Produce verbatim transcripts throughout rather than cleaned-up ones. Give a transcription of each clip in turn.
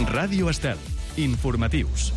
Ràdio Estel. Informatius.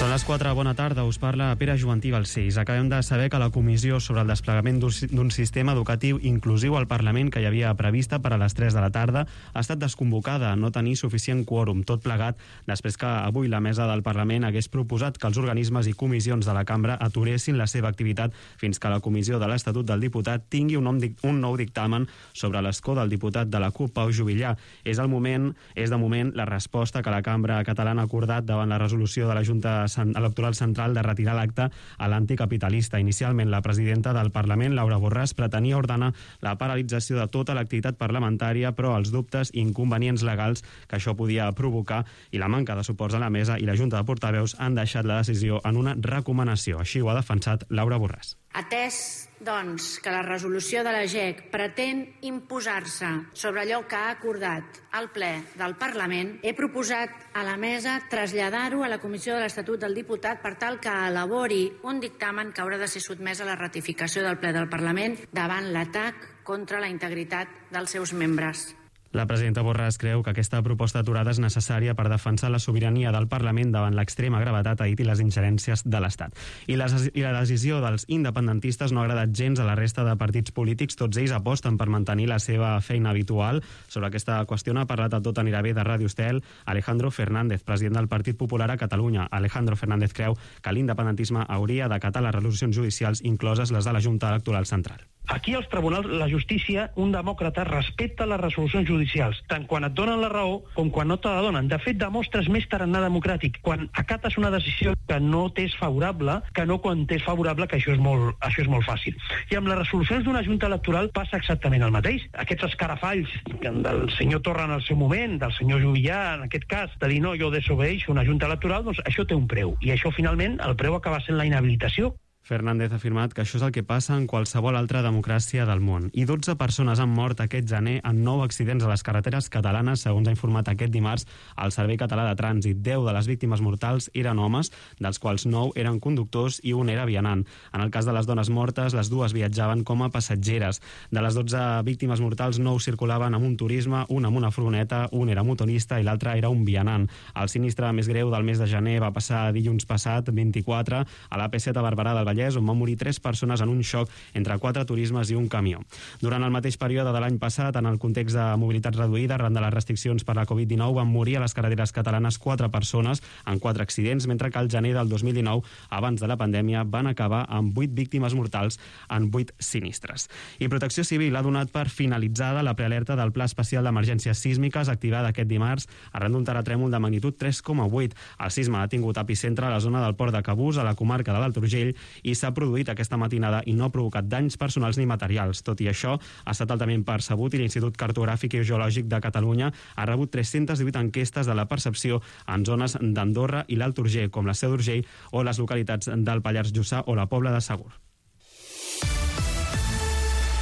Són les quatre, bona tarda, us parla Pere Joantí Balcells. Acabem de saber que la comissió sobre el desplegament d'un sistema educatiu inclusiu al Parlament que hi havia prevista per a les tres de la tarda ha estat desconvocada, no tenir suficient quòrum, tot plegat després que avui la mesa del Parlament hagués proposat que els organismes i comissions de la cambra aturessin la seva activitat fins que la comissió de l'Estatut del Diputat tingui un, un nou dictamen sobre l'escó del diputat de la CUP, Pau Juvillà. És, el moment, és de moment la resposta que la cambra catalana ha acordat davant la resolució de la Junta Electoral Central de retirar l'acte a l'anticapitalista. Inicialment, la presidenta del Parlament, Laura Borràs, pretenia ordenar la paralització de tota l'activitat parlamentària, però els dubtes i inconvenients legals que això podia provocar i la manca de suports a la mesa i la Junta de Portaveus han deixat la decisió en una recomanació. Així ho ha defensat Laura Borràs. Atès, doncs, que la resolució de la G E C pretén imposar-se sobre allò que ha acordat el ple del Parlament, he proposat a la mesa traslladar-ho a la Comissió de l'Estatut del Diputat per tal que elabori un dictamen que haurà de ser sotmès a la ratificació del ple del Parlament davant l'atac contra la integritat dels seus membres. La presidenta Borràs creu que aquesta proposta aturada és necessària per defensar la sobirania del Parlament davant l'extrema gravetat, ha dit, i les ingerències de l'Estat. I la, I la decisió dels independentistes no ha agradat gens a la resta de partits polítics. Tots ells aposten per mantenir la seva feina habitual. Sobre aquesta qüestió ha parlat a Tot anirà bé de Ràdio Estel Alejandro Fernández, president del Partit Popular a Catalunya. Alejandro Fernández creu que l'independentisme hauria d'acatar les resolucions judicials, incloses les de la Junta Electoral Central. Aquí als tribunals, la justícia, un demòcrata respecta les resolucions judicials, tant quan et donen la raó com quan no te la donen. De fet, demostres més tarannà democràtic quan acates una decisió que no t'és favorable que no quan t'és favorable, que això és molt, això és molt fàcil. I amb les resolucions d'una junta electoral passa exactament el mateix. Aquests escarafalls del senyor Torra en el seu moment, del senyor Juvillà en aquest cas, de dir no, jo desobeeixo una junta electoral, doncs això té un preu. I això finalment, el preu acaba sent la inhabilitació. Fernández ha afirmat que això és el que passa en qualsevol altra democràcia del món. I dotze persones han mort aquest gener en nou accidents a les carreteres catalanes, segons ha informat aquest dimarts el Servei Català de Trànsit. Deu de les víctimes mortals eren homes, dels quals nou eren conductors i un era vianant. En el cas de les dones mortes, les dues viatjaven com a passatgeres. De les dotze víctimes mortals, nou circulaven amb un turisme, un amb una furgoneta, un era motorista i l'altre era un vianant. El sinistre més greu del mes de gener va passar dilluns passat, vint-i-quatre, a l'A P set a Barberà del Vallès, on van morir tres persones en un xoc entre quatre turismes i un camió. Durant el mateix període de l'any passat, en el context de mobilitat reduïda, arran de les restriccions per la covid dinou, van morir a les carreteres catalanes quatre persones en quatre accidents, mentre que al gener del dos mil dinou, abans de la pandèmia, van acabar amb vuit víctimes mortals en vuit sinistres. I Protecció Civil ha donat per finalitzada la prealerta del Pla Especial d'Emergències Sísmiques activada aquest dimarts arran d'un terratrèmol de magnitud tres coma vuit. El sisme ha tingut epicentre a la zona del Port de Cabús, a la comarca de l'Alt Urgell, i s'ha produït aquesta matinada i no ha provocat danys personals ni materials. Tot i això, ha estat altament percebut i l'Institut Cartogràfic i Geològic de Catalunya ha rebut tres-centes divuit enquestes de la percepció en zones d'Andorra i l'Alt Urgell, com la Seu d'Urgell o les localitats del Pallars Jussà o la Pobla de Segur.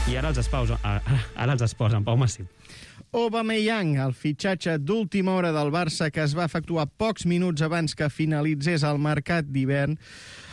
I ara els esports, ara els esports, en Pau Massip. Aubameyang, el fitxatge d'última hora del Barça que es va efectuar pocs minuts abans que finalitzés el mercat d'hivern,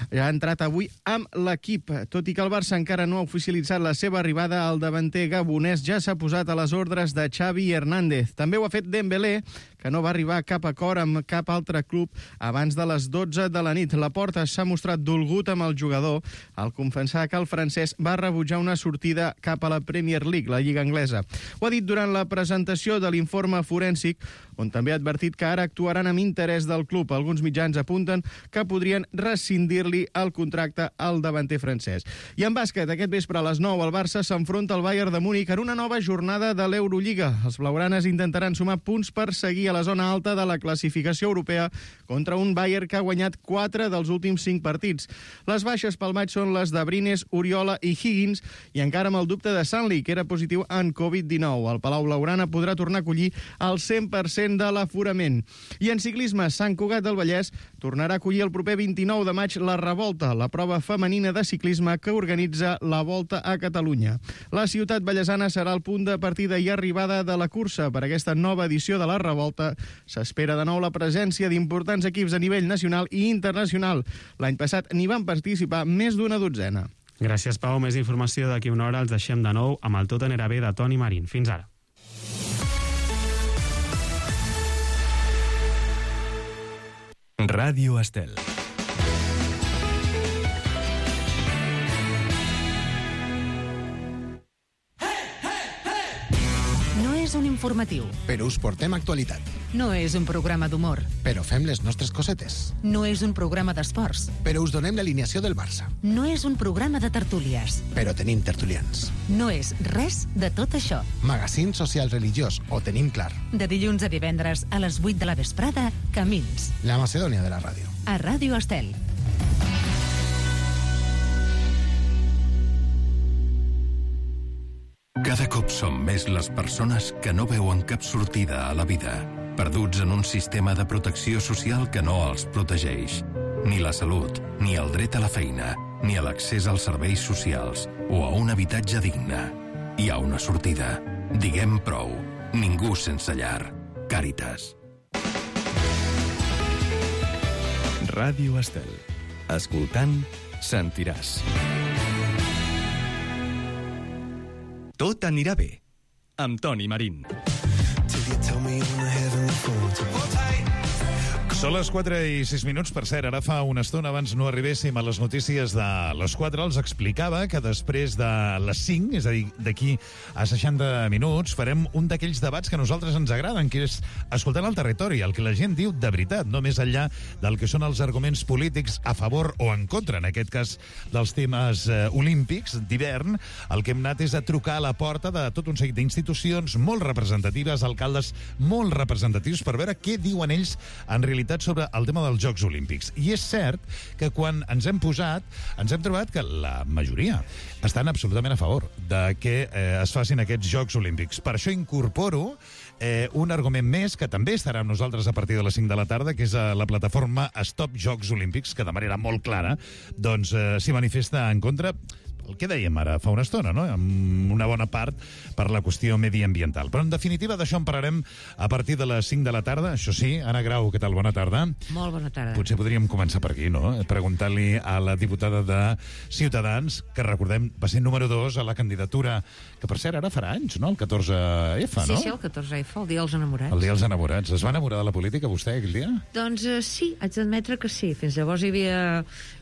ja ha entrat avui amb l'equip. Tot i que el Barça encara no ha oficialitzat la seva arribada, el davanter gabonès ja s'ha posat a les ordres de Xavi Hernández. També ho ha fet Dembélé, que no va arribar a cap acord amb cap altre club abans de les dotze de la nit. Laporta s'ha mostrat dolgut amb el jugador al confessar que el francès va rebutjar una sortida cap a la Premier League, la Lliga Anglesa. Ho ha dit durant la presentació de l'informe forènsic, on també ha advertit que ara actuaran amb interès del club. Alguns mitjans apunten que podrien rescindir-li el contracte al davanter francès. I en bàsquet, aquest vespre a les nou, el Barça s'enfronta al Bayern de Múnich en una nova jornada de l'Eurolliga. Els blaugranes intentaran sumar punts per seguir a la zona alta de la classificació europea contra un Bayern que ha guanyat quatre dels últims cinc partits. Les baixes pel maig són les de Brines, Oriola i Higgins, i encara amb el dubte de Sanli, que era positiu en covid dinou. El Palau Blaugrana podrà tornar a acollir el cent per cent de l'aforament. I en ciclisme, Sant Cugat del Vallès tornarà a acollir el proper vint-i-nou de maig la Revolta, la prova femenina de ciclisme que organitza la Volta a Catalunya. La ciutat vallesana serà el punt de partida i arribada de la cursa. Per aquesta nova edició de la Revolta s'espera de nou la presència d'importants equips a nivell nacional i internacional. L'any passat n'hi van participar més d'una dotzena. Gràcies, Pau. Més informació d'aquí una hora. Els deixem de nou amb el Tot anirà bé de Toni Marín. Fins ara. Ràdio Estel. No és un informatiu. Però us portem actualitat. No és un programa d'humor. Però fem les nostres cosetes. No és un programa d'esports. Però us donem l'alineació del Barça. No és un programa de tertúlies. Però tenim tertulians. No és res de tot això. Magazín social religiós, ho tenim clar. De dilluns a divendres a les vuit de la vesprada, Camins. La Macedònia de la ràdio. A Ràdio Estel. Cada cop som més les persones que no veuen cap sortida a la vida, perduts en un sistema de protecció social que no els protegeix. Ni la salut, ni el dret a la feina, ni a l'accés als serveis socials o a un habitatge digne. Hi ha una sortida. Diguem prou. Ningú sense llar. Càritas. Ràdio Estel. Escoltant, sentiràs. Tot anirà bé. Amb Toni Marín. Són les quatre i sis minuts, per cert, ara fa una estona abans no arribéssim a les notícies de les quatre, els explicava que després de les cinc, és a dir, d'aquí a seixanta minuts, farem un d'aquells debats que a nosaltres ens agraden, que és escoltant el territori, el que la gent diu de veritat, no més enllà del que són els arguments polítics a favor o en contra, en aquest cas dels temes eh, olímpics d'hivern. El que hem anat és a trucar a la porta de tot un seguit d'institucions molt representatives, alcaldes molt representatius, per veure què diuen ells en realitat sobre el tema dels Jocs Olímpics. I és cert que quan ens hem posat, ens hem trobat que la majoria estan absolutament a favor de que eh, es facin aquests Jocs Olímpics. Per això incorporo eh, un argument més que també estarà amb nosaltres a partir de les cinc de la tarda, que és eh, la plataforma Stop Jocs Olímpics, que de manera molt clara doncs, eh, s'hi manifesta en contra, el que dèiem ara fa una estona, no? Amb una bona part per la qüestió mediambiental. Però, en definitiva, d'això en parlarem a partir de les cinc de la tarda. Això sí, Anna Grau, què tal? Bona tarda. Molt bona tarda. Potser podríem començar per aquí, no? Preguntant-li a la diputada de Ciutadans, que recordem va ser número dos a la candidatura, que per cert ara farà anys, no? El catorze efa, no? Sí, sí, el catorze efa, el dia dels enamorats. El dia dels enamorats. Es va enamorar de la política, vostè, aquell dia? Doncs uh, sí, haig d'admetre que sí. Fins llavors hi havia...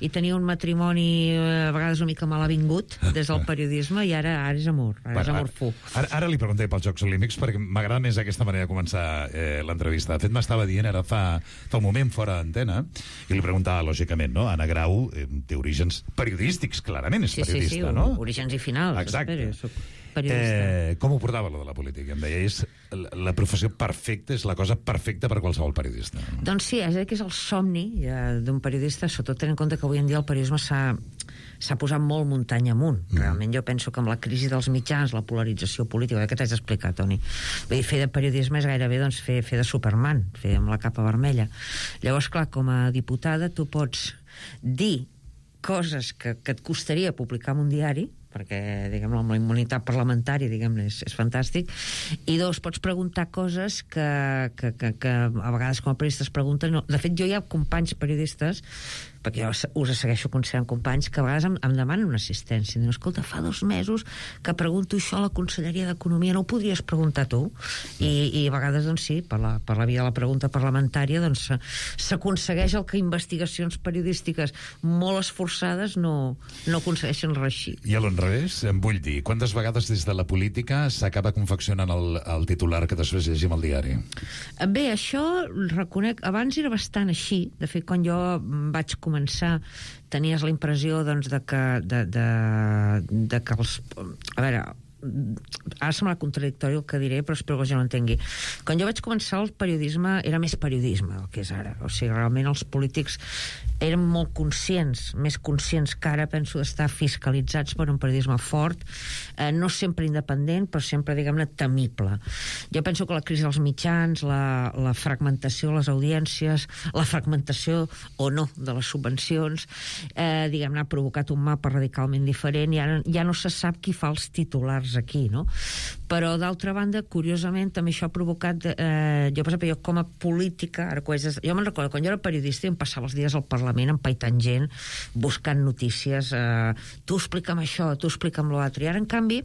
hi tenia un matrimoni uh, a vegades una mica mal avingut des del periodisme i ara, ara és amor, ara bueno, és amor fu. Ara, ara li pregunté pels Jocs Olímpics perquè m'agrada més aquesta manera de començar eh, l'entrevista. De fet, m'estava dient ara fa, fa un moment fora d'antena i li preguntava, lògicament, no? Anna Grau eh, té orígens periodístics, clarament és sí, periodista, sí, sí, no? Orígens i finals. Exacte. Espera, soc periodista. Eh, com ho portava, lo de la política? Em deia, és la, la professió perfecta, és la cosa perfecta per qualsevol periodista. Doncs sí, és que és el somni eh, d'un periodista, sobretot tenint en compte que avui en dia el periodisme s'ha s'ha posat molt muntanya amunt. Mm. Realment jo penso que amb la crisi dels mitjans, la polarització política, que t'haig d'explicar, Toni, vull dir, fer de periodisme és gairebé doncs, fer, fer de Superman, fer amb la capa vermella. Llavors, clar, com a diputada tu pots dir coses que, que et costaria publicar en un diari, perquè, diguem-ne, amb la immunitat parlamentària, diguem-ne, és, és fantàstic, i dos, pots preguntar coses que, que, que, que a vegades com a periodistes pregunten. No. De fet, jo hi ha companys periodistes, perquè jo us segueixo considerant companys, que a vegades em, em demanen una assistència. Diuen, escolta, fa dos mesos que pregunto això a la Conselleria d'Economia, no ho podries preguntar tu? I, i a vegades, doncs sí, per la, per la via de la pregunta parlamentària, doncs s'aconsegueix el que investigacions periodístiques molt esforçades no, no aconsegueixen reeixir. I a l'enrevés, em vull dir, quantes vegades des de la política s'acaba confeccionant el, el titular que després llegim al diari? Bé, això reconec, abans era bastant així. De fet, quan jo vaig començar, tenies la impressió doncs, de que de, de, de que els... A veure, ara sembla contradictori el que diré, però espero que ja no entengui. Quan jo vaig començar, el periodisme era més periodisme del que és ara. O sigui, realment els polítics eren molt conscients, més conscients que ara, penso, d'estar fiscalitzats per un periodisme fort, eh, no sempre independent, però sempre, diguem-ne, temible. Jo penso que la crisi dels mitjans, la, la fragmentació de les audiències, la fragmentació o no de les subvencions, eh, diguem-ne, ha provocat un mapa radicalment diferent i ara ja no se sap qui fa els titulars aquí, no? Però, d'altra banda, curiosament, també això ha provocat... Eh, jo, per exemple, jo com a política... Ara, jo me'n recordo, quan jo era periodista em passava els dies al Parlament empaitant gent, buscant notícies, eh, tu explica'm això, tu explica'm l'altre. I ara, en canvi,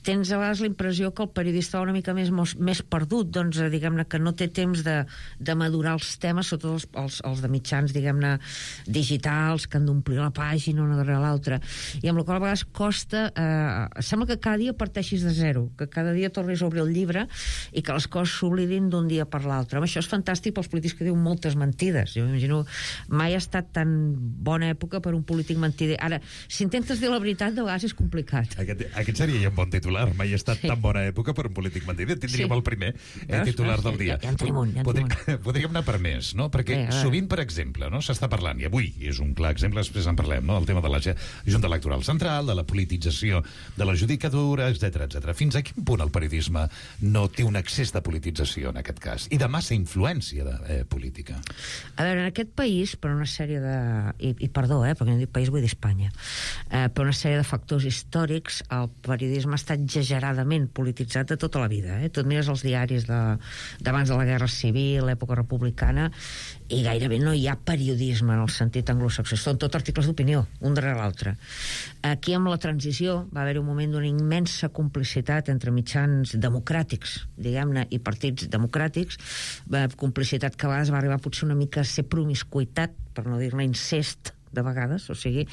tens a vegades la impressió que el periodista va una mica més, més perdut, doncs, diguem-ne, que no té temps de, de madurar els temes, sobretot els, els, els de mitjans, diguem-ne, digitals, que han d'omplir la pàgina una darrere l'altra. I amb la qual a vegades costa... Eh, sembla que cada dia parteixis de zero, que cada dia tornis a obrir el llibre i que les coses s'oblidin d'un dia per l'altre. Això és fantàstic pels polítics que diuen moltes mentides. Jo m'imagino, mai ha estat tan bona època per un polític mentider. Ara, si intentes dir la veritat, de vegades és complicat. Aquest, aquest seria ja un bon titular. Mai ha estat sí. tan bona època per un polític mentider. Tindríem sí. el primer eh, titular del dia. Ja en tenim un, ja en tenim un. Podríem anar per més, no? Perquè sí, sovint, per exemple, no, s'està parlant, i avui és un clar exemple, després en parlem, no? El tema de la Junta Electoral Central, de la politització de la judicatura, etcètera, etcètera. Fins a quin punt el periodisme no té un excés de politització, en aquest cas, i de massa influència de, eh, política? A veure, en aquest país, per una sèrie de... I, i perdó, eh, perquè no dic país, vull dir Espanya. Eh, per una sèrie de factors històrics, el periodisme ha estat exageradament polititzat de tota la vida. Eh? Tu et mires els diaris d'abans de, de la Guerra Civil, l'època republicana, i gairebé no hi ha periodisme en el sentit anglosaxó. Són tot articles d'opinió, un darrere l'altre. Aquí, amb la transició, va haver un moment d'una immensa complicitat entre mitjans democràtics, diguem-ne, i partits democràtics, complicitat que a vegades va arribar potser una mica a ser promiscuitat, per no dir-ne incest, de vegades, o sigui,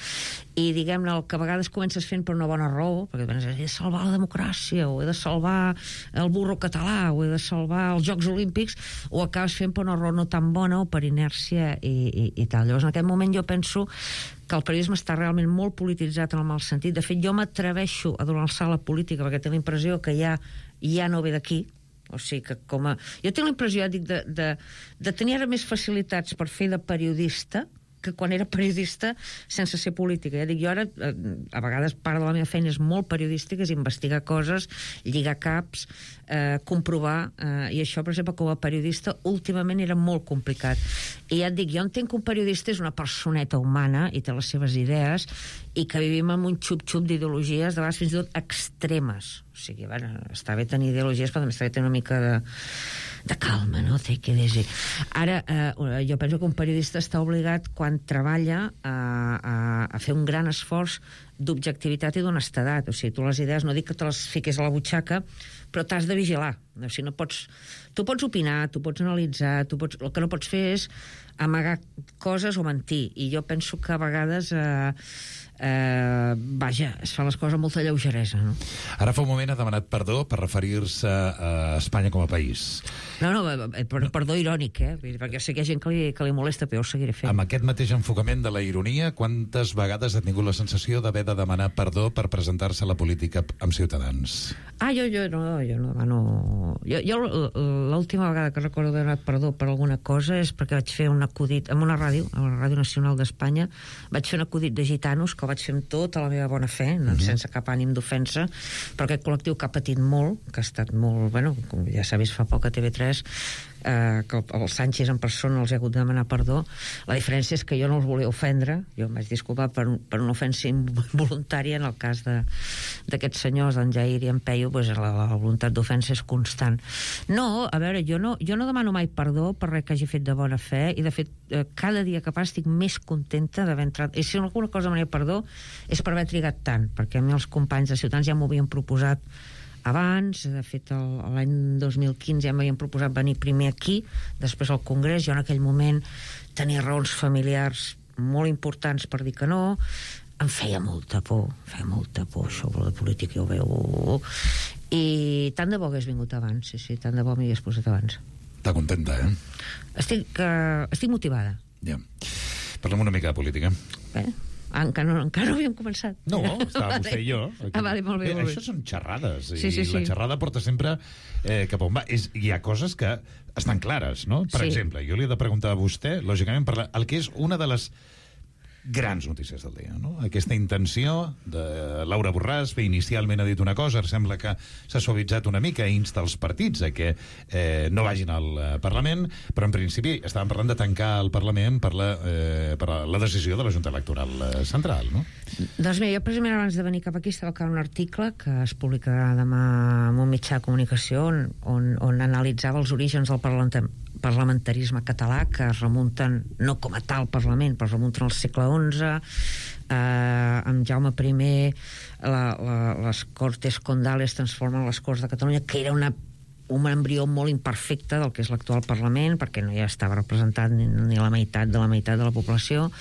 i diguem-ne, el que a vegades comences fent per una bona raó, perquè he de salvar la democràcia, o he de salvar el burro català, o he de salvar els Jocs Olímpics, o acabes fent per una raó no tan bona, o per inèrcia i, i, i tal. Llavors, en aquest moment jo penso que el periodisme està realment molt polititzat en el mal sentit. De fet, jo m'atreveixo a donar el salt a la política perquè tinc la impressió que ja, ja no ve d'aquí. O sigui que com a... Jo tinc la impressió, ja dic, de, de, de tenir ara més facilitats per fer de periodista que quan era periodista sense ser política. Ja dic, jo ara, a vegades part de la meva feina és molt periodística, és investigar coses, lligar caps, eh, comprovar, eh, i això, per exemple, com a periodista, últimament era molt complicat. I ja et dic, jo entenc que un periodista és una personeta humana i té les seves idees i que vivim amb un xup-xup d'ideologies, de vegades fins i tot extremes. O sigui, bueno, està bé tenir ideologies, però també està bé tenir una mica de... de calma, no? Take it easy. Ara, eh, jo penso que un periodista està obligat, quan treballa, a, a, a fer un gran esforç d'objectivitat i d'honestedat. O sigui, tu les idees, no dic que te les fiquis a la butxaca, però t'has de vigilar. O sigui, no pots... Tu pots opinar, tu pots analitzar, tu pots... el que no pots fer és amagar coses o mentir. I jo penso que a vegades... Eh, eh, vaja, es fa les coses amb molta lleugeresa, no? Ara fa un moment ha demanat perdó per referir-se a Espanya com a país. No, no, per, perdó irònic, eh? Perquè sé que hi ha gent que li, que li molesta, però jo ho seguiré fent. Amb aquest mateix enfocament de la ironia, quantes vegades ha tingut la sensació d'haver de demanar perdó per presentar-se a la política amb Ciutadans? Ah, jo, jo no, jo no demano... Jo, jo l'última vegada que recordo d'haver demanat perdó per alguna cosa és perquè vaig fer un acudit en una ràdio, a la Ràdio Nacional d'Espanya, vaig fer un acudit de gitanos que el vaig fer amb tota la meva bona fe, no, uh-huh. sense cap ànim d'ofensa, però aquest col·lectiu que ha patit molt, que ha estat molt... Bueno, com ja s'ha vist fa poc a T V tres, eh, que el, el Sánchez en persona els ha hagut de demanar perdó. La diferència és que jo no els volia ofendre, jo em vaig disculpar per, per una ofensa involuntària. En el cas d'aquests senyors, d'en Jair i en Peyu, pues, la, la voluntat d'ofensa és constant. No, a veure, jo no, jo no demano mai perdó per res que hagi fet de bona fe, i de fet, eh, cada dia que passa estic més contenta d'haver entrat. I si alguna cosa demanaria perdó és per haver trigat tant, perquè a mi els companys de Ciutadans ja m'ho havien proposat abans, de fet l'any dos mil quinze ja m'havien proposat venir primer aquí, després al Congrés. Jo en aquell moment tenia raons familiars molt importants per dir que no, em feia molta por, feia molta por això de política, ja ho veu, i tant de bo hagués vingut abans, sí, sí, tant de bo m'hi hagués posat abans. Està contenta, eh? Estic, uh, estic motivada. Ja. Parlem una mica de política. Bé, encara no, encara no havíem començat. No, estava vostè i jo. Ah, vale, molt bé, bé, molt bé. Això són xerrades, sí, sí, i sí. la xerrada porta sempre eh, cap on va. És, hi ha coses que estan clares, no? Per sí. exemple, jo li he de preguntar a vostè, lògicament, per la, el que és una de les grans notícies del dia, no? Aquesta intenció de Laura Borràs, que inicialment ha dit una cosa, sembla que s'ha suavitzat una mica, insta els partits a que eh, no vagin al eh, Parlament, però en principi estàvem parlant de tancar el Parlament per la, eh, per la decisió de la Junta Electoral eh, Central, no? Doncs mira, jo precisament abans de venir cap aquí estava acabant un article que es publicarà demà en un mitjà de comunicació on, on, on analitzava els orígens del parlament parlamentarisme català, que es remunten no com a tal Parlament, però es remunten al segle onze, eh, amb Jaume primer la, la, les Cortes Condales transformen les Corts de Catalunya, que era una un embrió molt imperfecte del que és l'actual Parlament, perquè no hi estava representat ni, ni la meitat de la meitat de la població.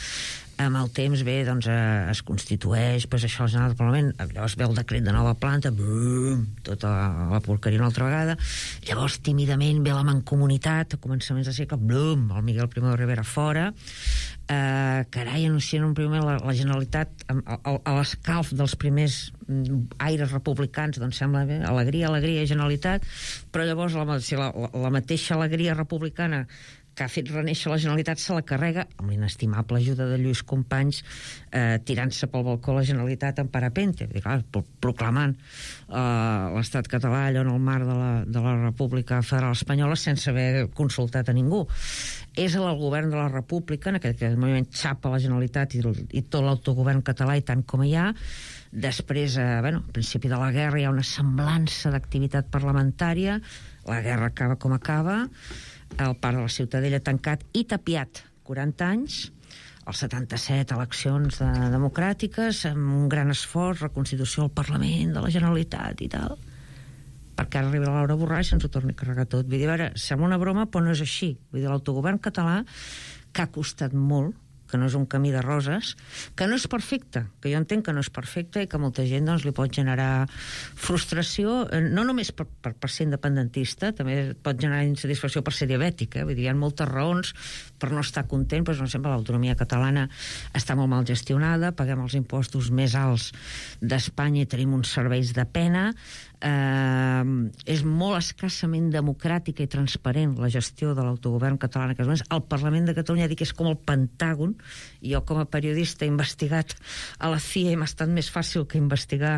Amb el temps, bé, doncs, eh, es constitueix, pues, això, el General del Parlament, llavors ve el decret de nova planta, brum, tota la, la porqueria una altra vegada, llavors, tímidament, ve la mancomunitat, a començaments de segle, brum, el Miguel Primo de Rivera fora, eh, carai, anuncien un primer la, la Generalitat, a, a, a l'escalf dels primers aires republicans, doncs sembla bé, alegria, alegria, Generalitat, però llavors la, si la, la, la mateixa alegria republicana que ha fet renéixer la Generalitat se la carrega amb l'inestimable ajuda de Lluís Companys, eh, tirant-se pel balcó la Generalitat en parapente, clar, proclamant eh, l'estat català allò en el marc de la, de la República Federal Espanyola sense haver consultat a ningú. És el govern de la República en aquest, aquest moment xapa la Generalitat i, i tot l'autogovern català i tant com hi ha. Després, eh, bueno, al principi de la guerra hi ha una semblança d'activitat parlamentària, la guerra acaba com acaba, el parc de la Ciutadella tancat i tapiat quaranta anys, els setanta-set eleccions de, democràtiques, amb un gran esforç, reconstitució del Parlament, de la Generalitat i tal, perquè ara arriba la Laura Borràs i ens ho torni a carregar tot. Vull dir, a veure, sembla una broma, però no és així. Vull dir, l'autogovern català, que ha costat molt, que no és un camí de roses, que no és perfecte, que jo entenc que no és perfecte i que molta gent doncs, li pot generar frustració, no només per, per, per ser independentista, també pot generar insatisfacció per ser diabètic, eh? Vull dir, hi ha moltes raons per no estar content, però no sempre l'autonomia catalana està molt mal gestionada, paguem els impostos més alts d'Espanya i tenim uns serveis de pena, eh, és molt escassament democràtica i transparent la gestió de l'autogovern català en aquests moments. El Parlament de Catalunya dic que és com el Pentàgon. Jo com a periodista he investigat a la C I A i m'ha estat més fàcil que investigar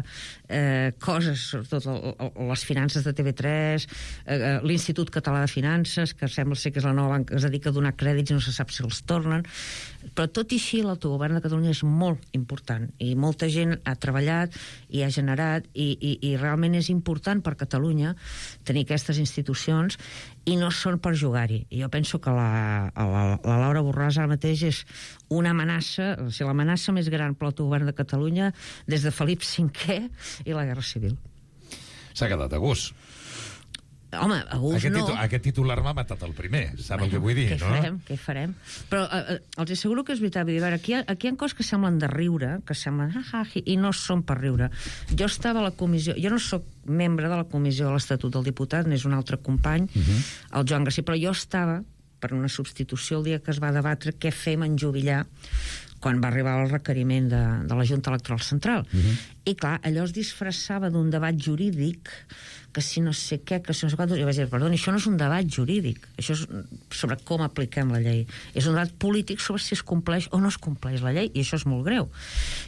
eh, coses, sobretot el, el, les finances de T V tres, eh, l'Institut Català de Finances, que sembla ser que és la nova banca que es dedica a donar crèdits i no se sap si els tornen, però tot i així l'autogovern de Catalunya és molt important i molta gent ha treballat i ha generat i, i, i realment és important per Catalunya tenir aquestes institucions i no són per jugar-hi. I jo penso que la, la, la Laura Borràs ara mateix és una amenaça, o sigui, l'amenaça més gran per l'autogovern de Catalunya des de Felip cinquè i la Guerra Civil. S'ha quedat a gust. Home, a gust aquest no. Títol, aquest titular m'ha matat el primer, sap bueno, el que vull dir, què no? Farem, què farem? Però eh, els asseguro que és veritat, vull dir, veure, aquí, aquí hi ha coses que semblen de riure, que semblen ah, ah, i no són per riure. Jo estava a la comissió, jo no sóc membre de la comissió de l'Estatut del Diputat, n'és un altre company, uh -huh. el Joan Garcia, però jo estava per una substitució el dia que es va debatre què fem en jubilar quan va arribar el requeriment de, de la Junta Electoral Central. Uh -huh. I clar, allò es disfressava d'un debat jurídic, que si no sé què, que si no sé quantos... Jo vaig dir, perdoni, això no és un debat jurídic, això és sobre com apliquem la llei. És un debat polític sobre si es compleix o no es compleix la llei, i això és molt greu.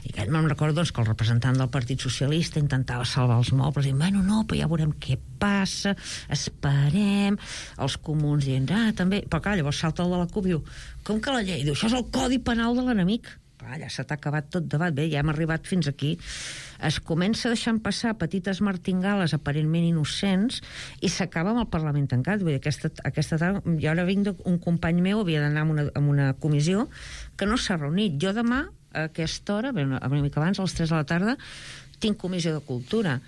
I aquest me'n recordo doncs, que el representant del Partit Socialista intentava salvar els mobles, dient, bueno, no, però ja veurem què passa, esperem, els comuns dient, ah, també... Però clar, llavors salta el de la C U P i diu, com que la llei? Diu, això és el codi penal de l'enemic. Clar, ja se t'ha acabat tot debat, bé, ja hem arribat fins aquí. Es comença deixant passar petites martingales aparentment innocents i s'acaba amb el Parlament tancat. Vull dir, aquesta, aquesta tarda, jo ara vinc d'un company meu, havia d'anar a una, a una comissió que no s'ha reunit. Jo demà, a aquesta hora, bé, una mica abans, a les tres de la tarda, tinc comissió de cultura,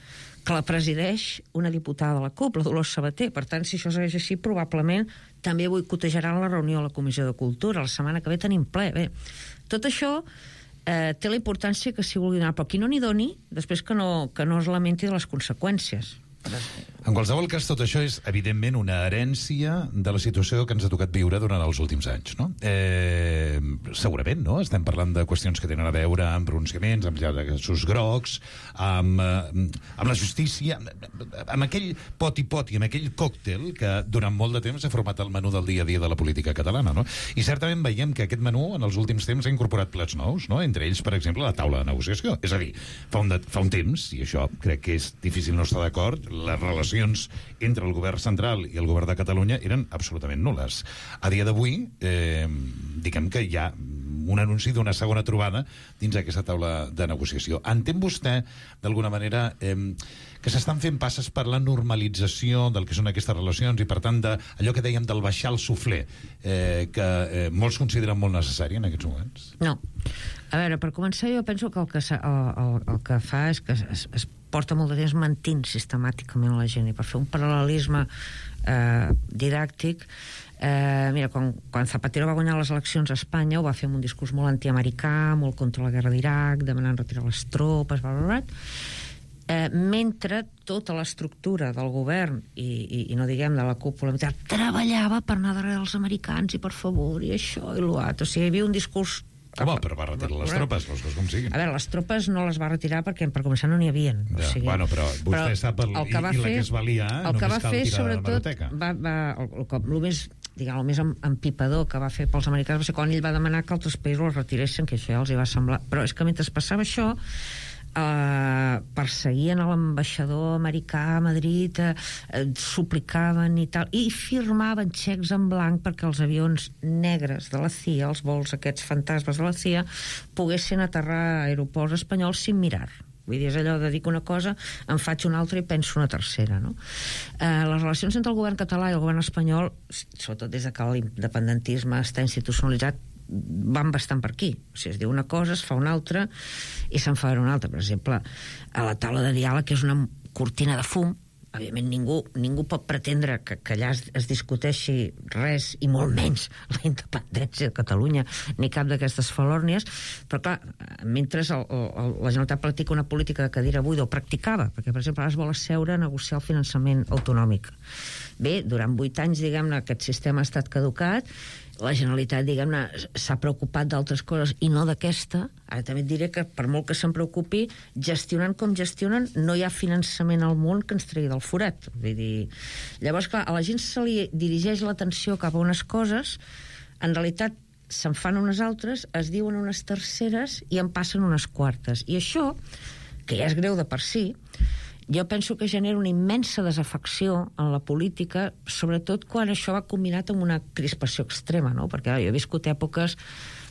que la presideix una diputada de la C U P, la Dolors Sabater. Per tant, si això segueix així, probablement també boicotejaran la reunió a la comissió de cultura. La setmana que ve tenim ple. Bé, tot això eh, té la importància que s'hi vulgui donar, però qui no n'hi doni, després que no, que no es lamenti de les conseqüències. En qualsevol cas, tot això és, evidentment, una herència de la situació que ens ha tocat viure durant els últims anys, no? Eh, segurament, no? Estem parlant de qüestions que tenen a veure amb pronunciaments, amb llaços grocs, amb, eh, amb la justícia, amb aquell poti-poti, amb aquell còctel que durant molt de temps ha format el menú del dia a dia de la política catalana, no? I certament veiem que aquest menú, en els últims temps, ha incorporat plats nous, no? Entre ells, per exemple, la taula de negociació. És a dir, fa un, de, fa un temps, i això crec que és difícil no estar d'acord, les relacions entre el govern central i el govern de Catalunya eren absolutament nules. A dia d'avui, eh, diguem que hi ha un anunci d'una segona trobada dins aquesta taula de negociació. Entén vostè, d'alguna manera, eh, que s'estan fent passes per la normalització del que són aquestes relacions i, per tant, de, allò que dèiem del baixar el suflé, eh, que eh, molts consideren molt necessari en aquests moments? No. A veure, per començar, jo penso que el que, el, el, el que fa és que es, es porta molt de temps mentint sistemàticament la gent, i per fer un paral·lelisme eh, didàctic, eh, mira, quan, quan Zapatero va guanyar les eleccions a Espanya ho va fer amb un discurs molt antiamericà, molt contra la guerra d'Iraq, demanant retirar les tropes, bla, bla, bla. Eh, mentre tota l'estructura del govern i, i, i no diguem de la cúpula treballava per anar darrere dels americans i per favor, i això i l'altre. O sigui, hi havia un discurs... Home, però va retirar les tropes, les coses com siguin. A veure, les tropes no les va retirar perquè per començar no n'hi havia. Ja, o sigui, bueno, però vostè però sap el, el que va i, i la fer, que es valia, eh? El que va fer, fer, sobretot, va, va, el, el, el, el més, diguem, el més empipador que va fer pels americans va ser quan ell va demanar que altres països els retiressin, que això ja els hi va semblar. Però és que mentre passava això, Uh, perseguien a l'ambaixador americà a Madrid, uh, uh, suplicaven i tal, i firmaven xecs en blanc perquè els avions negres de la C I A, els vols aquests fantasmes de la C I A, poguessin aterrar a aeroports espanyols sin mirar. Vull dir, és allò de dir una cosa, en faig una altra i penso una tercera, no? Eh, les relacions entre el govern català i el govern espanyol, sobretot des de que l'independentisme està institucionalitzat, van bastant per aquí. O sigui, es diu una cosa, es fa una altra i se'n fa una altra. Per exemple, a la taula de diàleg, que és una cortina de fum, evidentment ningú, ningú pot pretendre que, que allà es, es discuteixi res, i molt menys la independència de Catalunya, ni cap d'aquestes falòrnies, però clar, mentre el, el, la Generalitat practica una política de cadira buida, o practicava, perquè per exemple ara es vol asseure a negociar el finançament autonòmic. Bé, durant vuit anys, diguem-ne, aquest sistema ha estat caducat, la Generalitat, diguem-ne, s'ha preocupat d'altres coses i no d'aquesta. Ara també et diré que, per molt que se'n preocupi, gestionant com gestionen, no hi ha finançament al món que ens tregui del forat. Vull dir, llavors, clar, a la gent se li dirigeix l'atenció cap a unes coses, en realitat se'n fan unes altres, es diuen unes terceres i en passen unes quartes. I això, que ja és greu de per si, jo penso que genera una immensa desafecció en la política, sobretot quan això va combinat amb una crispació extrema, no? Perquè jo he viscut èpoques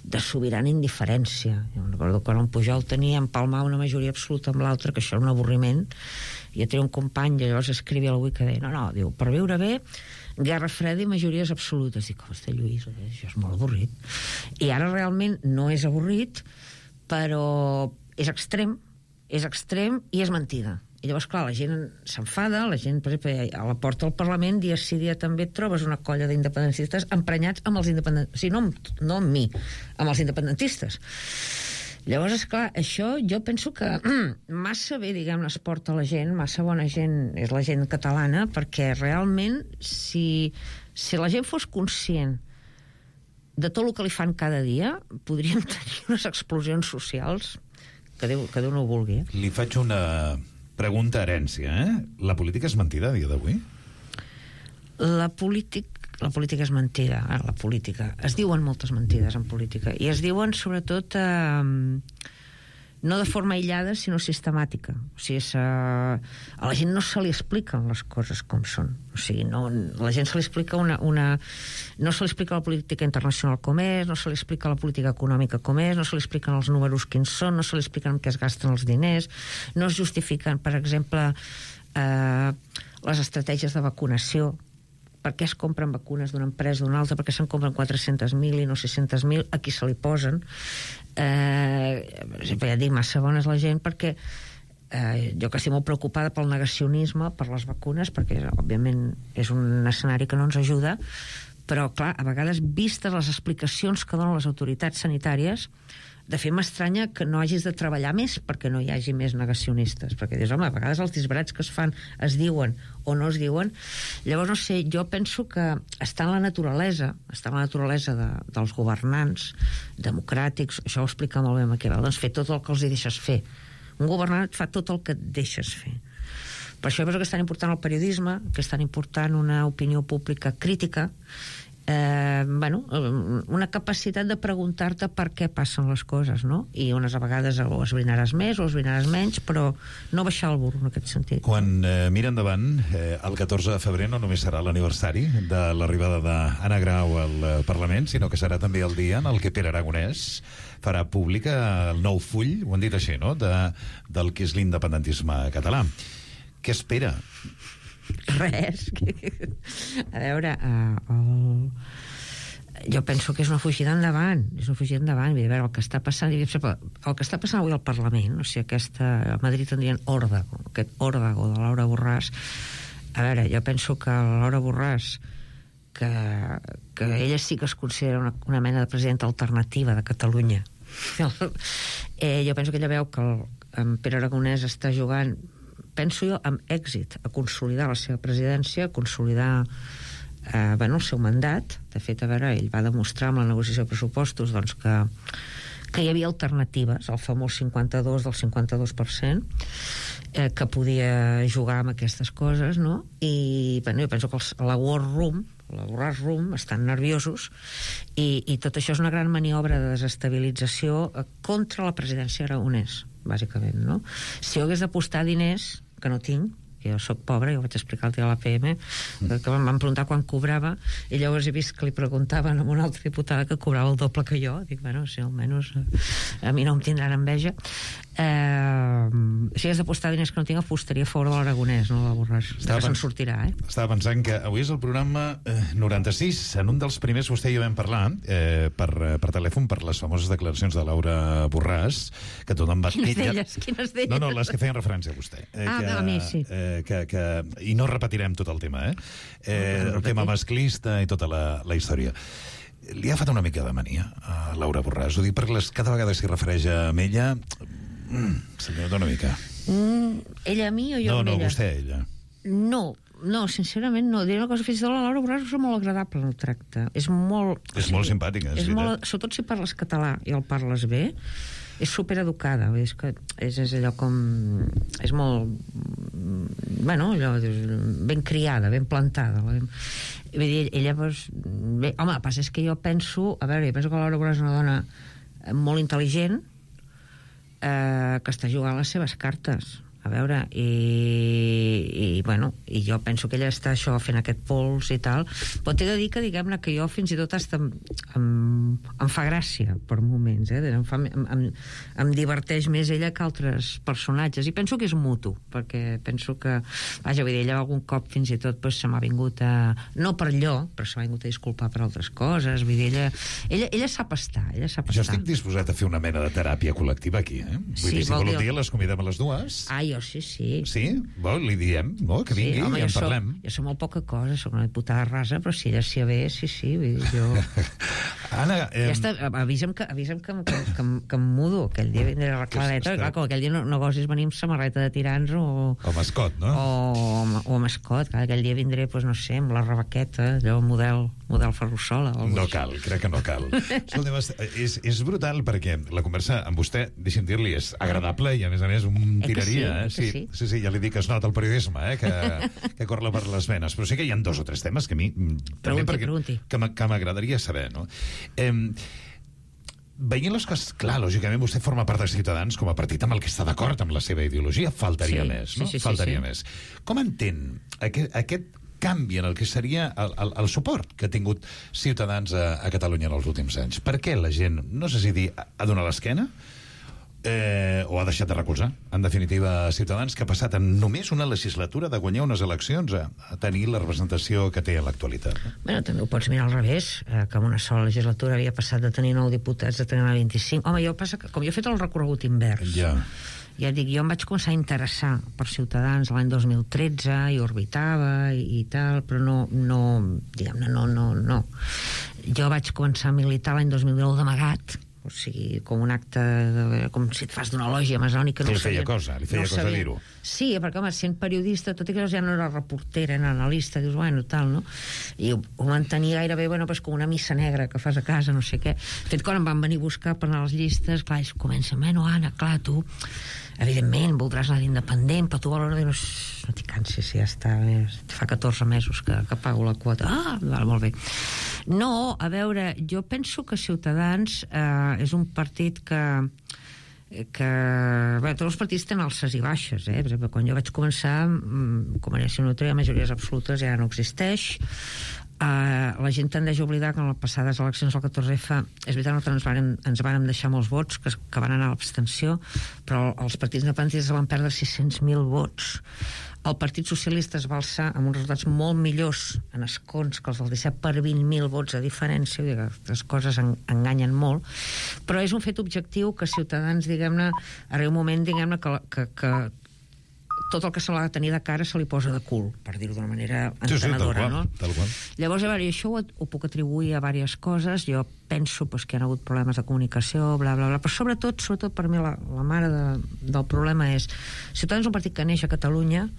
de sobirana indiferència. Jo recordo que quan en Pujol tenia empalmar una majoria absoluta amb l'altra, que això era un avorriment. Jo tenia un company, i llavors escrivia al Wiki que deia, no, no, diu, per viure bé, guerra freda i majories absolutes. Dic, hosti, Lluís, això és molt avorrit. I ara realment no és avorrit, però és extrem, és extrem i és mentida. I llavors, clar, la gent s'enfada, la gent, per exemple, a la porta del Parlament, dia sí dia també trobes una colla d'independentistes emprenyats amb els independentistes. O sigui, no amb, no amb mi, amb els independentistes. Llavors, esclar, això jo penso que massa bé, diguem-ne, es porta la gent, massa bona gent és la gent catalana, perquè realment, si, si la gent fos conscient de tot el que li fan cada dia, podríem tenir unes explosions socials que Déu, que Déu no ho vulgui. Eh? Li faig una pregunta herència, eh? La política és mentida a dia d'avui? La política, la política és mentida. Ara, la política. Es diuen moltes mentides en política. I es diuen, sobretot, eh, no de forma aïllada, sinó sistemàtica. O sigui, a la gent no se li expliquen les coses com són. O sigui, no, la gent se li explica una, una... No se li explica la política internacional com és, no se li explica la política econòmica com és, no se li expliquen els números quins són, no se li expliquen en què es gasten els diners, no es justifiquen, per exemple, eh, les estratègies de vacunació, per què es compren vacunes d'una empresa o d'una altra, per què se'n compren quatre-centes mil i no sis-centes mil, a qui se li posen. Eh, ja dic, massa bona és la gent, perquè eh, jo que estic molt preocupada pel negacionisme, per les vacunes, perquè òbviament és un escenari que no ens ajuda, però clar, a vegades vistes les explicacions que donen les autoritats sanitàries, De fet, m'estranya que no hagis de treballar més perquè no hi hagi més negacionistes, perquè dius, home, a vegades els disbarats que es fan es diuen o no es diuen. Llavors, no sé, jo penso que està en la naturalesa, està en la naturalesa de, dels governants democràtics, això ho explica molt bé Maquiavel, doncs fer tot el que els hi deixes fer. Un governant fa tot el que et deixes fer. Per això penso que és tan important el periodisme, que és tan important una opinió pública crítica, Eh, bueno, una capacitat de preguntar-te per què passen les coses, no? I unes vegades o esbrinaràs més o esbrinaràs menys, però no baixar el burro en aquest sentit. Quan eh, mira endavant, eh, el catorze de febrer no només serà l'aniversari de l'arribada d'Anna Grau al eh, Parlament, sinó que serà també el dia en el que Pere Aragonès farà pública el nou full, ho han dit així, no?, de, del que és l'independentisme català. Què espera? Res. A veure, uh, el... jo penso que és una fugida endavant, és una fugida endavant. A veure, el que està passant, el que està passant avui al Parlament, o sigui, aquesta, a Madrid en diuen òrdago, aquest òrdago de Laura Borràs. A veure, jo penso que Laura Borràs, que, que ella sí que es considera una, una mena de presidenta alternativa de Catalunya, eh, jo penso que ella veu que el, en Pere Aragonès està jugant, penso jo, amb èxit, a consolidar la seva presidència, a consolidar eh, bueno, el seu mandat. De fet, a veure, ell va demostrar amb la negociació de pressupostos doncs, que, que hi havia alternatives, el famós cinquanta-dos del cinquanta-dos per cent, eh, que podia jugar amb aquestes coses, no? I bueno, jo penso que els, la War Room, la Borràs Room, estan nerviosos i, i tot això és una gran maniobra de desestabilització contra la presidència Aragonès, bàsicament, no? Si jo hagués d'apostar diners, que no tinc, jo soc pobre, jo vaig explicar el dia de l'A P M, que em van preguntar quan cobrava, i llavors he vist que li preguntaven a una altra diputada que cobrava el doble que jo. Dic, bueno, si almenys a mi no em tindran enveja. Eh, si hagués d'apostar diners que no tinc, apostaria a favor de l'Aragonès, no de la Borràs. Estava que se'n sortirà, eh? Estava pensant que avui és el programa eh, noranta-sis. En un dels primers vostè i jo vam parlar eh, per, per telèfon per les famoses declaracions de Laura Borràs, que tothom va... Quines d'elles? Quines d'elles? No, no, les que feien referència a vostè. Eh, ah, que, a mi, sí. Eh, que, que, I no repetirem tot el tema, eh? eh no, no, el tema masclista i tota la, la història. Li ha fet una mica de mania a Laura Borràs. Ho dic perquè les, cada vegada s'hi refereix a ella... Mm, se li nota una mica. Mm, ella a mi o jo no, amb no, ella? No, vostè a ella. No, no, sincerament no. Diré una cosa, fins i tot la Laura Borràs és molt agradable en el tracte. És molt... És o sigui, molt simpàtica, és, és molt, sobretot si parles català i el parles bé, és supereducada. És que és, és allò com... És molt... Bueno, allò, ben criada, ben plantada. Vull dir, ella, doncs... Bé, home, el que passa és que jo penso... A veure, jo penso que la Laura Borràs és una dona molt intel·ligent, eh, que està jugant les seves cartes, a veure, i, i bueno, i jo penso que ella està això fent aquest pols i tal, però t'he de dir que diguem-ne que jo fins i tot hasta em, em, em fa gràcia per moments, eh? em, fa, em, em, em diverteix més ella que altres personatges, i penso que és mutu, perquè penso que, vaja, vull dir, ella algun cop fins i tot pues, se m'ha vingut a, no per allò, però se m'ha vingut a disculpar per altres coses, vull dir, ella, ella, ella sap estar, ella sap jo estar. estic disposat a fer una mena de teràpia col·lectiva aquí, eh? Vull sí, dir, si vol un dir... dia les convidem a les dues. Ai, jo sí, sí. Sí? Vol, li diem, no? Que vingui sí, home, i en soc, parlem. Jo soc molt poca cosa, soc una diputada rasa, però si ella s'hi ve, sí, sí. Vull dir, jo... Anna... Eh... Ja està, avisa'm que, avisa'm que, que, que, que em mudo, aquell dia vindré a la Clareta, clar, com aquell dia no, no gossis venir amb samarreta de tirants o... O mascot, no? O, o mascot, clar, aquell dia vindré, doncs no sé, amb la rebaqueta, allò, model, model Ferrusola. No cal, crec que no cal. Escolta'm, és, és brutal perquè la conversa amb vostè, deixi'm dir-li, és agradable i a més a més un tiraria, eh? Sí, sí, sí, sí, ja li dic que es nota el periodisme, eh? que, que corre per les venes, però sí que hi ha dos o tres temes que a mi també pregunti, perquè, pregunti. que m'agradaria saber, no? Eh, veient les coses, clar, lògicament vostè forma part de Ciutadans com a partit amb el que està d'acord amb la seva ideologia, faltaria sí, més, no? Sí, sí, faltaria sí, sí. més. Com entén aquest, aquest canvi en el que seria el, el, el suport que ha tingut Ciutadans a, a Catalunya en els últims anys? Per què la gent, no sé si dir, ha donat l'esquena eh, o ha deixat de recolzar, en definitiva, Ciutadans, que ha passat en només una legislatura de guanyar unes eleccions a, a tenir la representació que té a l'actualitat? No? Bueno, també ho pots mirar al revés, eh, que en una sola legislatura havia passat de tenir nou diputats a tenir vint-i-cinc. Home, jo passa que, com jo he fet el recorregut invers, ja. ja dic, jo em vaig començar a interessar per Ciutadans l'any dos mil tretze i orbitava i, i tal, però no, no diguem-ne, no, no, no. Jo vaig començar a militar l'any dos mil dinou d'amagat, o sigui, com un acte, de, com si et fas d'una lògia masònica. Que no li feia sabien, cosa, li feia no cosa dir-ho. Sí, perquè, home, sent periodista, tot i que ja no era reportera, era analista, dius, bueno, tal, no? I ho, ho mantenia gairebé, bueno, pues, com una missa negra que fas a casa, no sé què. De fet, quan em van venir a buscar per anar a les llistes, clar, ells comencen, bueno, Anna, clar, tu, evidentment, voldràs anar d'independent, però tu a l'hora de dir, no t'hi cansis, ja està, fa catorze mesos que, que pago la quota. Ah, val, molt bé. No, a veure, jo penso que Ciutadans eh, és un partit que que... Bé, tots els partits tenen alces i baixes, eh? Per exemple, quan jo vaig començar, Convergència i Unió tenia majories absolutes, ja no existeix. Uh, la gent tendeix a oblidar que en les passades eleccions del catorze efe és veritat que ens vàrem, ens vàrem deixar molts vots que, que van anar a l'abstenció, però els partits independentistes van perdre sis-cents mil vots. El Partit Socialista es va alçar amb uns resultats molt millors en escons que els del disset per vint mil vots de diferència, vull dir que les coses en, enganyen molt, però és un fet objectiu que Ciutadans, diguem-ne, arriba un moment, diguem-ne, que, que, que tot el que se l'ha de tenir de cara se li posa de cul, per dir-ho d'una manera entenedora, sí, sí, tal qual, no? tal qual. Llavors, a veure, això ho, ho puc atribuir a diverses coses. Jo penso pues, que hi ha hagut problemes de comunicació, bla, bla, bla, però sobretot, sobretot per mi la, la mare de, del problema és Ciutadans és un partit que neix a Catalunya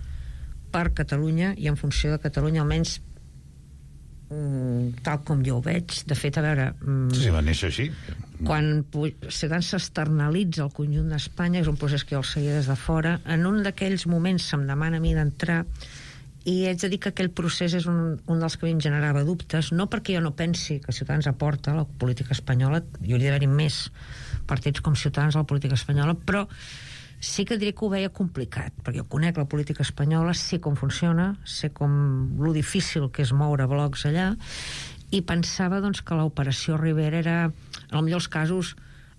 per Catalunya i en funció de Catalunya, almenys tal com jo ho veig. De fet, a veure... Sí, va néixer així. Quan Ciutadans s'externalitza al conjunt d'Espanya, és un procés que jo el seguia des de fora, en un d'aquells moments se'm demana a mi d'entrar i haig de dir que aquell procés és un, un dels que a mi em generava dubtes, no perquè jo no pensi que Ciutadans aporta a la política espanyola, hi hauria d'haver més partits com Ciutadans a la política espanyola, però sí que diré que ho veia complicat, perquè jo conec la política espanyola, sé com funciona, sé com lo difícil que és moure blocs allà, i pensava doncs, que l'operació Rivera era, en els millors casos,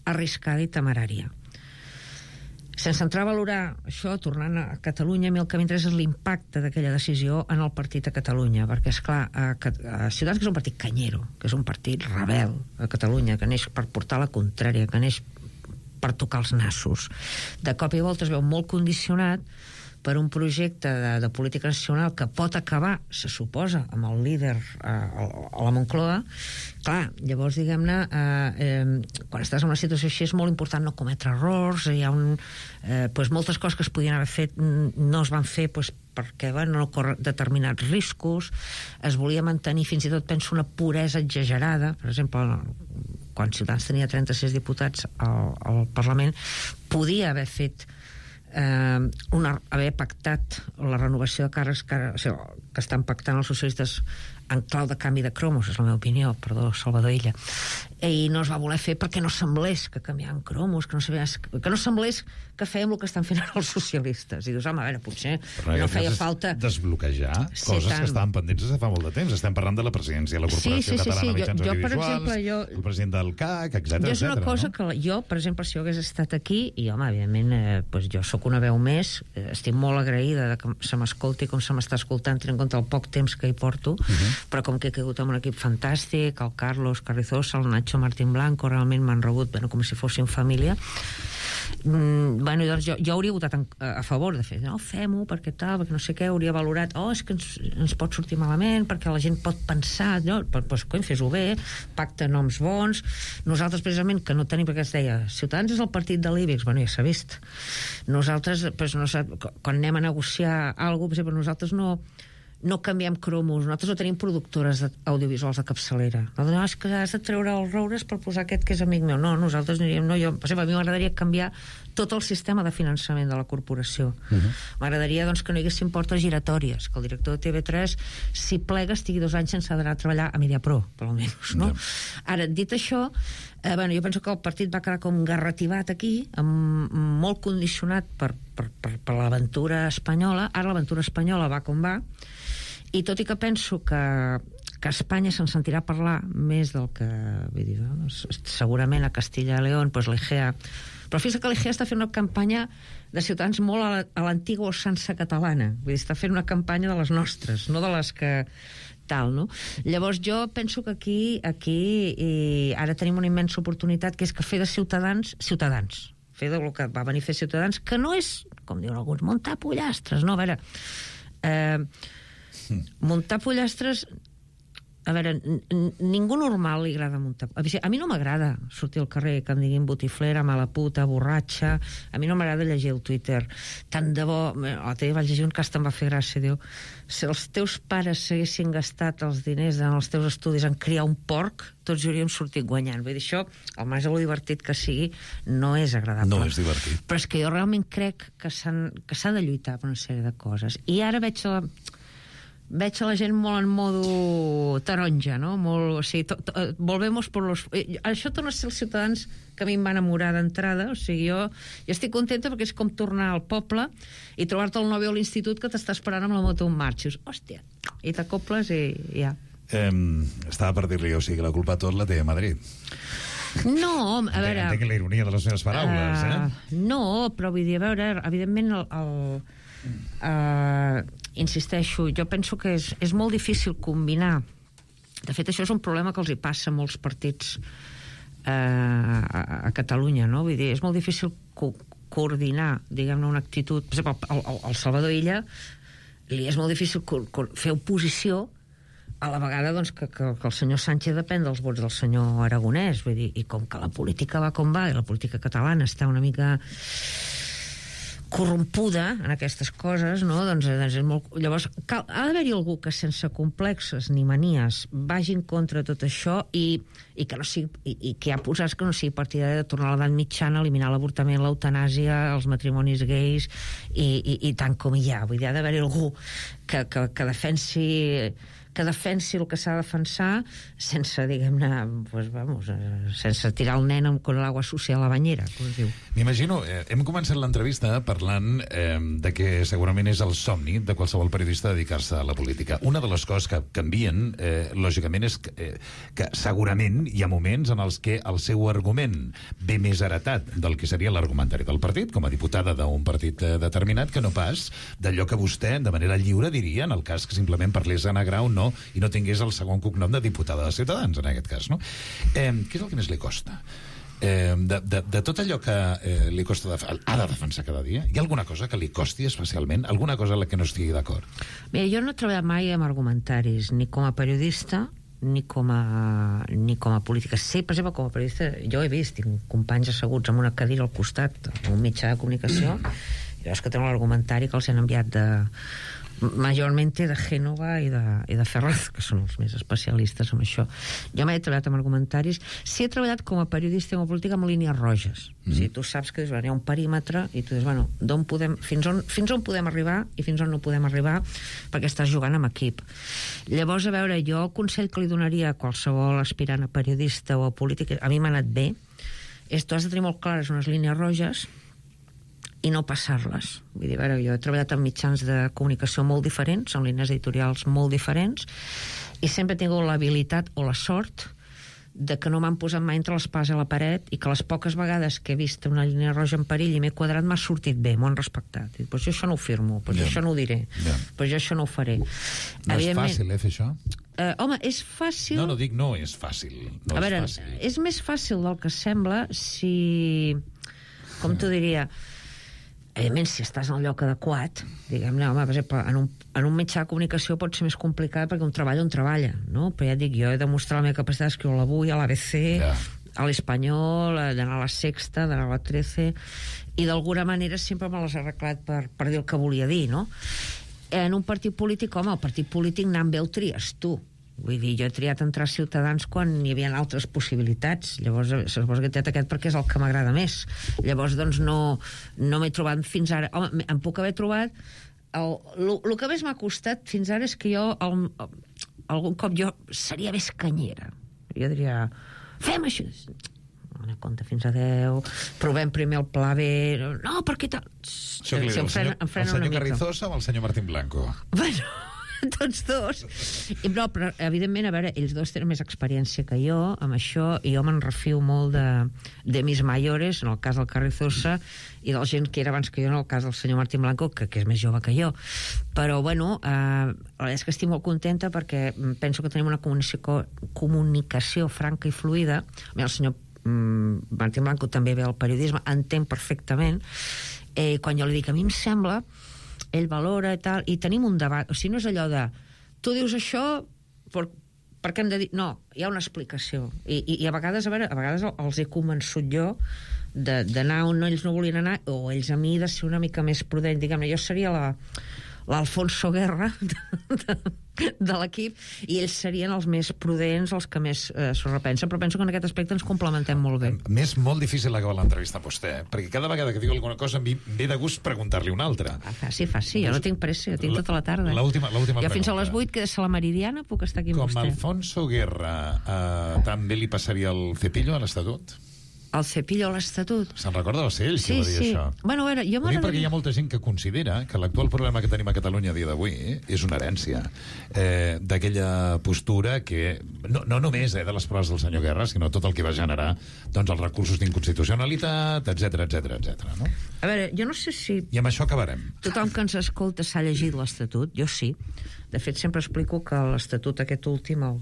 arriscada i temerària. Sense entrar a valorar això, tornant a Catalunya, a mi el que m'interessa és l'impacte d'aquella decisió en el partit a Catalunya, perquè, esclar, a, a Ciutadans, que és un partit canyero, que és un partit rebel a Catalunya, que neix per portar la contrària, que neix per tocar els nassos, de cop i volta es veu molt condicionat per un projecte de, de política nacional que pot acabar, se suposa, amb el líder eh, a la Moncloa. Clar, llavors, diguem-ne, eh, eh, quan estàs en una situació així és molt important no cometre errors, hi ha un, eh, pues, moltes coses que es podien haver fet no es van fer pues, perquè bueno, no corre determinats riscos, es volia mantenir fins i tot, penso, una puresa exagerada. Per exemple, quan Ciutadans tenia trenta-sis diputats al, al Parlament, podia haver fet eh, una, haver pactat la renovació de càrrecs que, o sigui, que estan pactant els socialistes en clau de canvi de cromos, és la meva opinió, perdó, Salvador Illa, i no es va voler fer perquè no semblés que canviaven cromos, que no, sabia, que no semblés que fèiem el que estan fent ara els socialistes. I dius, home, a veure, potser no, no feia falta desbloquejar sí, coses tant. que estaven pendents des de fa molt de temps. Estem parlant de la presidència de la Corporació sí, sí, Catalana sí, sí. de Mitjans jo, jo, Audiovisuals, exemple, jo, el president del C A C, etcètera. Jo és una cosa no? que jo, per exemple, si jo hagués estat aquí, i home, evidentment, eh, pues jo sóc una veu més, eh, estic molt agraïda de que se m'escolti com se m'està escoltant, tenint en compte el poc temps que hi porto, uh -huh. però com que he caigut amb un equip fantàstic, el Carlos Carrizosa, el Nacho Martín Blanco, realment m'han rebut bueno, com si fossin família. Mm, bueno, doncs jo, jo hauria votat en, a, a favor de fer, no, fem-ho, perquè tal, perquè no sé què, hauria valorat, oh, és que ens, ens pot sortir malament, perquè la gent pot pensar, no, doncs, cony, fes-ho bé, pacta noms bons. Nosaltres, precisament, que no tenim, perquè es deia, Ciutadans és el partit de l'I B E X, bueno, ja s'ha vist. Nosaltres, doncs, no, quan anem a negociar alguna cosa, per exemple, nosaltres no no canviem cromos, nosaltres no tenim productores audiovisuals de capçalera. No, és que has de treure els roures per posar aquest que és amic meu. No, nosaltres aniríem... No, jo, per exemple, a mi m'agradaria canviar tot el sistema de finançament de la corporació. Uh -huh. M'agradaria, doncs, que no hi haguessin portes giratòries, que el director de T V tres, si plega, estigui dos anys sense anar a treballar a Mediapro, per almenys, no? Uh -huh. Ara, dit això, eh, bueno, jo penso que el partit va quedar com garrativat aquí, amb, molt condicionat per, per, per, per l'aventura espanyola. Ara l'aventura espanyola va com va, i tot i que penso que, que Espanya se'n sentirà parlar més del que... Vull dir, no? Segurament a Castilla y León, pues l'E G A... Però fins que l'E G A està fent una campanya de Ciutadans molt a l'antiga ossança catalana. Vull dir, està fent una campanya de les nostres, no de les que... tal, no? Llavors jo penso que aquí, aquí i ara tenim una immensa oportunitat, que és que fer de Ciutadans, Ciutadans. Fer del que va venir a fer Ciutadans, que no és, com diuen alguns, muntar pollastres, no? A veure... Eh, muntar pollastres a veure, ningú normal li agrada muntar... A mi no m'agrada sortir al carrer que em diguin botiflera, mala puta, borratxa. A mi no m'agrada llegir el Twitter. Tant de bo... L'altre dia vaig llegir un cas que em va fer gràcia, diu, si els teus pares s'haguessin gastat els diners en els teus estudis en criar un porc, tots hauríem sortit guanyant. Vull dir, això, al marge de lo divertit que sigui, no és agradable. No és divertit. Però és que jo realment crec que s'ha de lluitar per una sèrie de coses. I ara veig la... veig a la gent molt en modo taronja, no? Molt, o sigui, to, to, volvemos por los... Això torna a ser els ciutadans que a mi em va enamorar d'entrada, o sigui, jo, jo estic contenta perquè és com tornar al poble i trobar-te el nòvio a l'institut que t'està esperant amb la moto en marxa. Hòstia, i t'acoples i ja. Eh, estava per dir-li, o sigui, la culpa tot la té a Madrid. No, a veure... Entenc la ironia de les meves paraules, uh, eh? No, però vull dir, a veure, evidentment el... el uh, insisteixo, jo penso que és, és molt difícil combinar. De fet, això és un problema que els hi passa a molts partits eh, a, a Catalunya, no? Vull dir, és molt difícil co coordinar, diguem-ne, una actitud... Per exemple, al, al Salvador Illa li és molt difícil fer oposició a la vegada doncs, que, que, que el senyor Sánchez depèn dels vots del senyor Aragonès. Vull dir, i com que la política va com va, i la política catalana està una mica... corrompuda en aquestes coses, no? Doncs, doncs és molt... Llavors, cal... ha d'haver-hi algú que sense complexes ni manies vagi en contra de tot això i, i que no sigui, i, i que hi ha posats que no sigui partidari de tornar a l'edat mitjana, eliminar l'avortament, l'eutanàsia, els matrimonis gais i, i, i tant com hi ha. Vull dir, ha d'haver-hi algú que, que, que defensi que defensi el que s'ha de defensar sense, diguem-ne, pues, vamos, sense tirar el nen amb l'aigua sucia a la banyera, com es diu. M'imagino, eh, hem començat l'entrevista parlant eh, de que segurament és el somni de qualsevol periodista dedicar-se a la política. Una de les coses que canvien, eh, lògicament, és que, eh, que segurament hi ha moments en els que el seu argument ve més heretat del que seria l'argumentari del partit, com a diputada d'un partit eh, determinat, que no pas d'allò que vostè, de manera lliure, diria, en el cas que simplement parlés Anna Grau, no, i no tingués el segon cognom de diputada de Ciutadans, en aquest cas, no? Eh, què és el que més li costa? Eh, de, de, de tot allò que eh, li costa de, ha de defensar cada dia, hi ha alguna cosa que li costi especialment? Alguna cosa en la que no estigui d'acord? Mira, jo no he treballat mai amb argumentaris, ni com a periodista, ni com a, ni com a política. Sí, per exemple, com a periodista, jo he vist, tinc companys asseguts amb una cadira al costat, en un mitjà de comunicació, i veus que tenen l'argumentari que els han enviat de... majormente de Gènova i de, i de Ferraz, que són els més especialistes en això. Jo mai he treballat amb argumentaris. Sí he treballat com a periodista i com a política amb línies roges. Mm. O sigui, tu saps que hi ha un perímetre i tu dius, bueno, d'on podem, fins, on, fins on podem arribar i fins on no podem arribar perquè estàs jugant amb equip. Llavors, a veure, jo el consell que li donaria a qualsevol aspirant a periodista o a política, a mi m'ha anat bé, és tu has de tenir molt clares unes línies roges i no passar-les. Vull dir, a veure, jo he treballat en mitjans de comunicació molt diferents, en línies editorials molt diferents, i sempre he tingut l'habilitat o la sort de que no m'han posat mai entre l'espasa i la paret i que les poques vegades que he vist una línia roja en perill i m'he quadrat m'ha sortit bé, m'ho han respectat. I, pues jo això no ho firmo, pues yeah. jo això no ho diré, yeah. pues jo això no ho faré. No és fàcil, eh, fer això? Uh, home, és fàcil... No, no dic no és fàcil. No a veure, és fàcil. És més fàcil del que sembla si... Com t'ho diria... Evidentment, si estàs en el lloc adequat, diguem-ne, home, per exemple, en un, en un mitjà de comunicació pot ser més complicat perquè un treballa on treballa, no? Però ja et dic, jo he demostrat la meva capacitat d'escriure a l'Avui, a l'A B C, yeah. a l'Espanyol, d'anar a la Sexta, d'anar a la Trece, i d'alguna manera sempre me les he arreglat per, per dir el que volia dir, no? En un partit polític, home, el partit polític anant bé el tries tu. Vull dir, jo he triat entrar a Ciutadans quan hi havia altres possibilitats. Llavors, suposo que he triat aquest perquè és el que m'agrada més. Llavors, doncs, no, no m'he trobat fins ara... Home, em puc haver trobat... El, el, el que més m'ha costat fins ara és que jo, el, algun cop jo seria més canyera. Jo diria, fem això... Una compte fins a deu, provem primer el pla B... No, perquè tal... Això que li diu, el senyor, el senyor Carrizosa o el senyor Martín Blanco? Bueno... tots dos. I, però, però, evidentment, a veure, ells dos tenen més experiència que jo amb això, i jo me'n refio molt de, de mis mayores, en el cas del Carrizosa, i de la gent que era abans que jo, en el cas del senyor Martín Blanco, que, que és més jove que jo. Però, bueno, eh, la veritat és que estic molt contenta perquè penso que tenim una comunicació, comunicació franca i fluida. El senyor mm, Martín Blanco també ve al periodisme, entén perfectament. Eh, quan jo li dic, a mi em sembla... ell valora i tal, i tenim un debat, o sigui, no és allò de tu dius això per, perquè hem de dir... No, hi ha una explicació. I, i, i a vegades, a veure, a vegades els he convençut jo d'anar on ells no volien anar, o ells a mi de ser una mica més prudent. Diguem-ne, jo seria la... l'Alfonso Guerra de, de, de l'equip, i ells serien els més prudents, els que més eh, s'ho repensen, però penso que en aquest aspecte ens complementem molt bé. M'és molt difícil acabar l'entrevista amb vostè, eh? Perquè cada vegada que diu alguna cosa em ve de gust preguntar-li una altra. Ah, faci, faci, jo no tinc pressa, jo tinc tota la tarda. L'última pregunta. Jo fins a les vuit, que és a la Meridiana, puc estar aquí amb Com vostè. Com Alfonso Guerra, eh, també li passaria el cepillo a l'Estatut? El cepillo a l'Estatut. Se'n recorda? Va ser ell sí, qui va dir sí. això. Bueno, a veure, jo Ho dic perquè hi ha molta gent que considera que l'actual problema que tenim a Catalunya a dia d'avui eh, és una herència eh, d'aquella postura que, no, no només eh, de les proves del senyor Guerra, sinó tot el que va generar doncs, els recursos d'inconstitucionalitat, etcètera, etcètera, etcètera. No? A veure, jo no sé si... I amb això acabarem. Tothom que ens escolta s'ha llegit l'Estatut, jo sí. De fet, sempre explico que l'Estatut aquest últim el...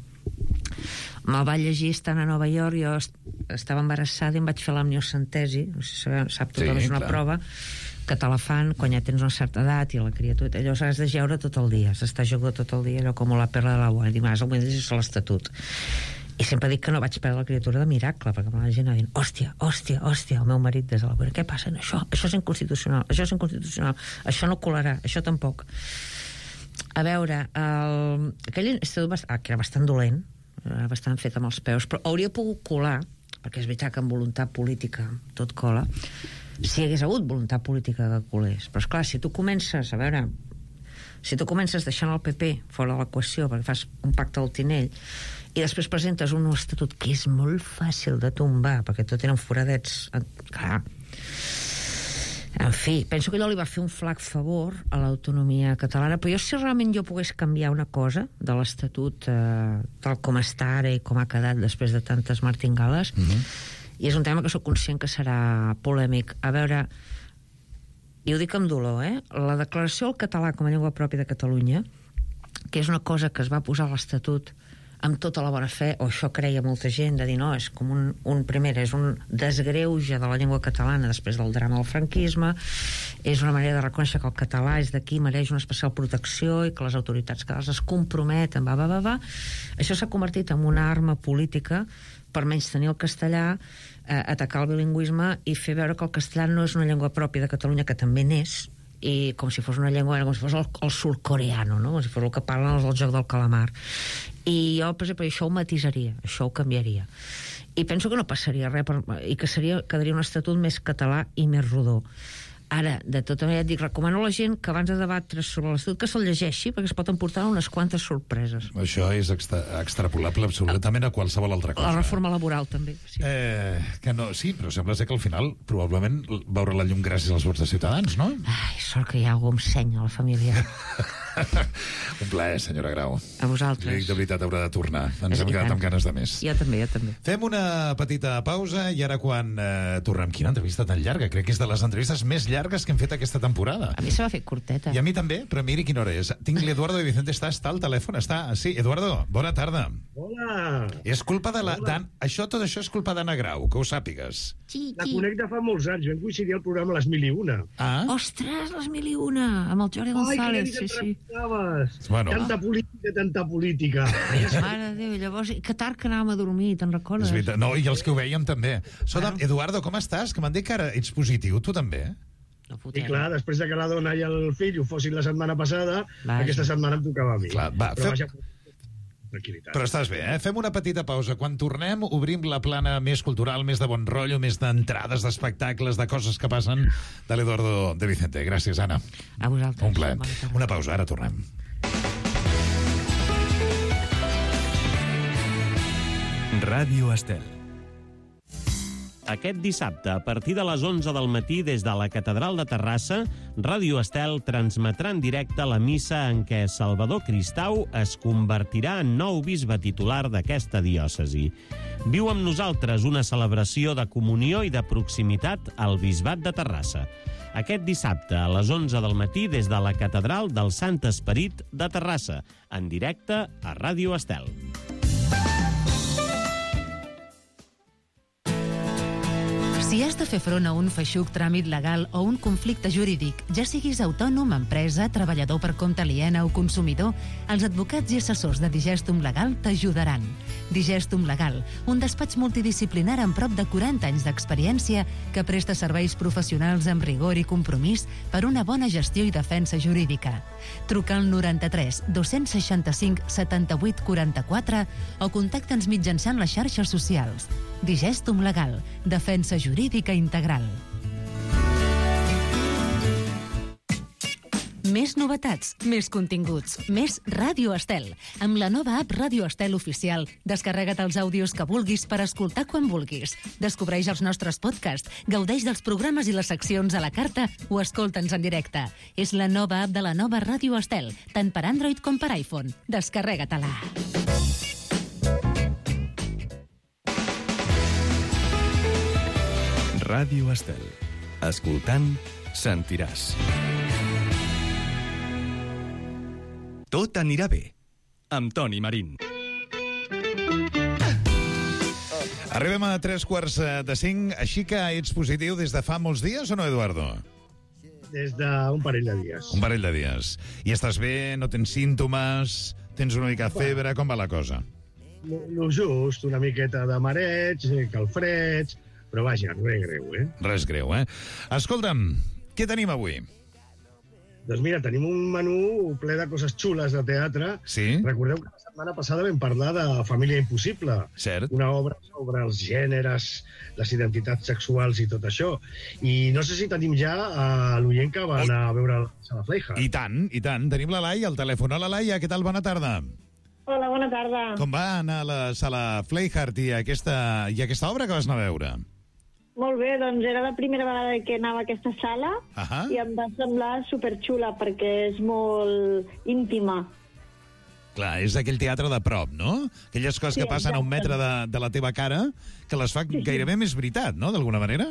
me'l va llegir estant a Nova York, jo estava embarassada i em vaig fer l'amniocentesi, no sé si sap tothom, sí, és una clar. prova que te la fan quan ja tens una certa edat i la criatura, allò has de jeure tot el dia, s'està jugant tot el dia, allò com la perla de la boa, i dimarts el vull llegir l'Estatut. I sempre dic que no vaig perdre la criatura de miracle, perquè la gent anava dient, hòstia, hòstia, hòstia, el meu marit des de la boira, què passa? Això, això és inconstitucional, això és inconstitucional, això no colarà, això tampoc. A veure, el... aquell estatut va... ah, que era bastant dolent, era bastant fet amb els peus, però hauria pogut colar, perquè és veritat que amb voluntat política tot cola, si hi hagués hagut voluntat política que colés. Però esclar, si tu comences, a veure, si tu comences deixant el P P fora de l'equació perquè fas un pacte al Tinell i després presentes un estatut que és molt fàcil de tombar perquè tot eren foradets, clar. En fi, penso que allò li va fer un flac favor a l'autonomia catalana, però jo si realment jo pogués canviar una cosa de l'Estatut eh, tal com està ara i com ha quedat després de tantes martingales, mm-hmm. i és un tema que sóc conscient que serà polèmic. A veure, i ho dic amb dolor, eh? La declaració del català com a llengua pròpia de Catalunya, que és una cosa que es va posar a l'Estatut amb tota la bona fe, o això creia molta gent, de dir, no, és com un, un primer, és un desgreuge de la llengua catalana després del drama del franquisme, és una manera de reconèixer que el català és d'aquí, mereix una especial protecció i que les autoritats catalanes es comprometen, va, va, va, va. Això s'ha convertit en una arma política per menystenir el castellà, eh, atacar el bilingüisme i fer veure que el castellà no és una llengua pròpia de Catalunya, que també n'és, i com si fos una llengua, com si fos el, el surcoreano, no? Com si fos el que parlen els del joc del calamar. I jo, per exemple, això ho matisaria, això ho canviaria. I penso que no passaria res, per, i que seria, quedaria un estatut més català i més rodó. Ara, de tota manera, et dic, recomano a la gent que abans de debatre sobre l'estatut que se'l llegeixi, perquè es pot emportar unes quantes sorpreses. Això és extra, extrapolable absolutament a qualsevol altra cosa. La reforma laboral, també. Sí. Eh, que no, sí, però sembla ser que al final probablement veure la llum gràcies als vots de Ciutadans, no? Ai, sort que hi ha algú amb seny a la família. Un plaer, senyora Grau. A vosaltres. Dic, de veritat, haurà de tornar. Ens hem quedat amb ganes de més. Jo també, jo també. Fem una petita pausa i ara quan eh, tornem... Quina entrevista tan llarga? Crec que és de les entrevistes més llargues que hem fet aquesta temporada. A mi se va fer curteta. I a mi també, però miri quina hora és. Tinc l'Eduardo de Vicente, està, està al telèfon, està... Sí, Eduardo, bona tarda. Hola. És culpa de la... Dan... Això, tot això és culpa d'Anna Grau, que ho sàpigues. La conec de fa molts anys, vam coincidir al programa Les Mil i Una. Ah? Ostres, Les Mil i Una, amb el Jordi González, sí, sí. Bueno. Tanta política, tanta política. Mare de Déu, llavors, que tard que anàvem a dormir, te'n recordes? No, i els que ho veiem també. Escolta'm, bueno. Eduardo, com estàs? Que m'han dit que ara ets positiu, tu també? No I clar, després de que la dona i el fill ho fossin la setmana passada, Vaja. aquesta setmana em tocava a mi. Clar, va, Però, fem... vaja, tranquil·litat. Però estàs bé, eh? Fem una petita pausa. Quan tornem, obrim la plana més cultural, més de bon rotllo, més d'entrades, d'espectacles, de coses que passen de l'Eduardo de Vicente. Gràcies, Anna. A vosaltres. Un plaer. Una pausa, ara tornem. Ràdio Estel. Aquest dissabte, a partir de les onze del matí, des de la Catedral de Terrassa, Ràdio Estel transmetrà en directe la missa en què Salvador Cristau es convertirà en nou bisbe titular d'aquesta diòcesi. Viu amb nosaltres una celebració de comunió i de proximitat al bisbat de Terrassa. Aquest dissabte, a les onze del matí, des de la Catedral del Sant Esperit de Terrassa, en directe a Ràdio Estel. Si has de fer front a un feixuc tràmit legal o un conflicte jurídic, ja siguis autònom, empresa, treballador per compte aliena o consumidor, els advocats i assessors de Digestum Legal t'ajudaran. Digestum Legal, un despatx multidisciplinar amb prop de quaranta anys d'experiència que presta serveis professionals amb rigor i compromís per una bona gestió i defensa jurídica. Truca al noranta-tres dos-cents seixanta-cinc setanta-vuit quaranta-quatre o contacta'ns mitjançant les xarxes socials. Digestum Legal, defensa jurídica integral. Més novetats, més continguts, més Ràdio Estel. Amb la nova app Ràdio Estel Oficial, descarrega't els àudios que vulguis per escoltar quan vulguis. Descobreix els nostres podcasts, gaudeix dels programes i les seccions a la carta o escolta'ns en directe. És la nova app de la nova Ràdio Estel, tant per Android com per iPhone. Descarrega-te-la. Ràdio Estel. Escoltant, sentiràs. Tot anirà bé, amb Toni Marín. Arribem a tres quarts de cinc, així que ets positiu des de fa molts dies o no, Eduardo? Des d'un parell de dies. Un parell de dies. I estàs bé, no tens símptomes, tens una mica de febre, com va la cosa? Lo just, una miqueta de mareig, calfreds, però vaja, res greu, eh? Res greu, eh? Escolta'm, què tenim avui? Doncs mira, tenim un menú ple de coses xules de teatre. Sí? Recordeu que la setmana passada vam parlar de Família Impossible. Cert. Una obra sobre els gèneres, les identitats sexuals i tot això. I no sé si tenim ja a l'oient que va anar a veure la Sala Fleija. I tant, i tant. Tenim la Laia al telèfon. Hola, Laia, què tal? Bona tarda. Hola, bona tarda. Com va anar a la Sala Fleihart i aquesta, i aquesta obra que vas anar a veure? Molt bé, doncs era la primera vegada que anava a aquesta sala uh-huh. i em va semblar superxula perquè és molt íntima. Clar, és aquell teatre de prop, no? Aquelles coses sí, que passen exacte. a un metre de, de la teva cara que les fa sí, gairebé sí. més veritat, no?, d'alguna manera?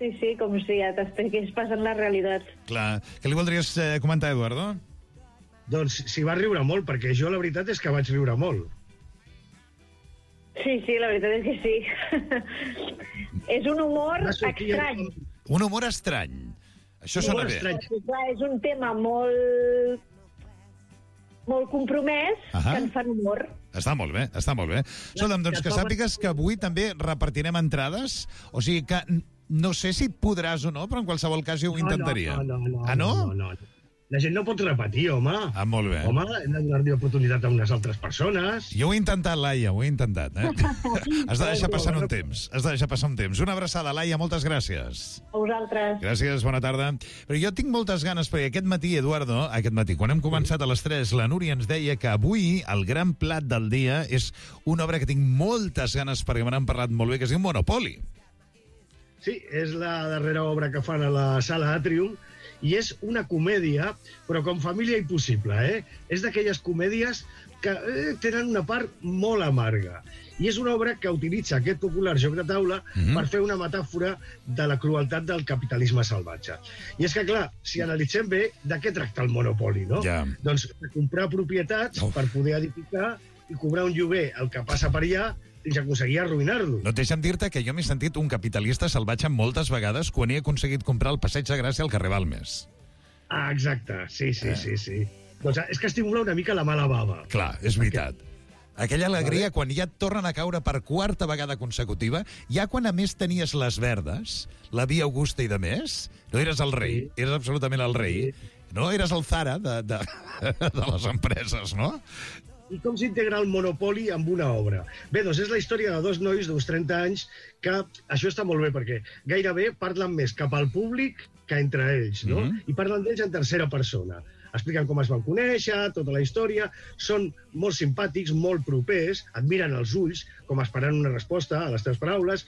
Sí, sí, com si ja t'estigués passant la realitat. Clar. Què li voldries eh, comentar, Eduardo? Doncs s'hi va riure molt, perquè jo la veritat és que vaig riure molt. Sí, sí, la veritat és que sí. És un humor estrany. Un humor estrany. Això sona bé. Sí, clar, és un tema molt... molt compromès, uh-huh. que en fan humor. Està molt bé, està molt bé. Escolta'm, doncs que sàpigues que avui també repartirem entrades, o sigui que no sé si podràs o no, però en qualsevol cas jo ho intentaria. No, no, no. no ah, no? no, no, no. La gent no pot repetir, home. Ah, molt bé. Home, hem de donar-li oportunitat a unes altres persones. Jo ho he intentat, Laia, ho he intentat, eh? Has de deixar passar un temps. Has de deixar passar un temps. Una abraçada, Laia, moltes gràcies. A vosaltres. Gràcies, bona tarda. Però jo tinc moltes ganes, perquè aquest matí, Eduardo, aquest matí, quan hem començat a les tres, la Núria ens deia que avui el gran plat del dia és una obra que tinc moltes ganes, perquè me n'han parlat molt bé, que es diu Monopoly. Sí, és la darrera obra que fan a la Sala Atrium, i és una comèdia, però com Família Impossible, eh? És d'aquelles comèdies que eh, tenen una part molt amarga. I és una obra que utilitza aquest popular joc de taula mm-hmm. per fer una metàfora de la crueltat del capitalisme salvatge. I és que, clar, si analitzem bé, de què tracta el Monopoly, no? Ja. Doncs de comprar propietats oh. per poder edificar i cobrar un lloguer el que passa per allà fins a aconseguir arruïnar-lo. No, deixa'm dir-te que jo m'he sentit un capitalista salvatge moltes vegades quan he aconseguit comprar el Passeig de Gràcia al carrer Balmes. Ah, exacte. Sí, sí, eh. sí, sí. Doncs és que estimula una mica la mala bava. Clar, és veritat. Aquella alegria quan ja et tornen a caure per quarta vegada consecutiva, ja quan a més tenies les verdes, la Via Augusta i de més, no eres el rei, sí. eres absolutament el rei, sí. no? Eres el Zara de, de, de les empreses, no? I com s'integra el Monopoly amb una obra? Bé, doncs és la història de dos nois d'uns trenta anys que això està molt bé perquè gairebé parlen més cap al públic que entre ells, no? Mm-hmm. I parlen d'ells en tercera persona. Expliquen com es van conèixer, tota la història, són molt simpàtics, molt propers, et miren als ulls, com esperant una resposta a les teves paraules,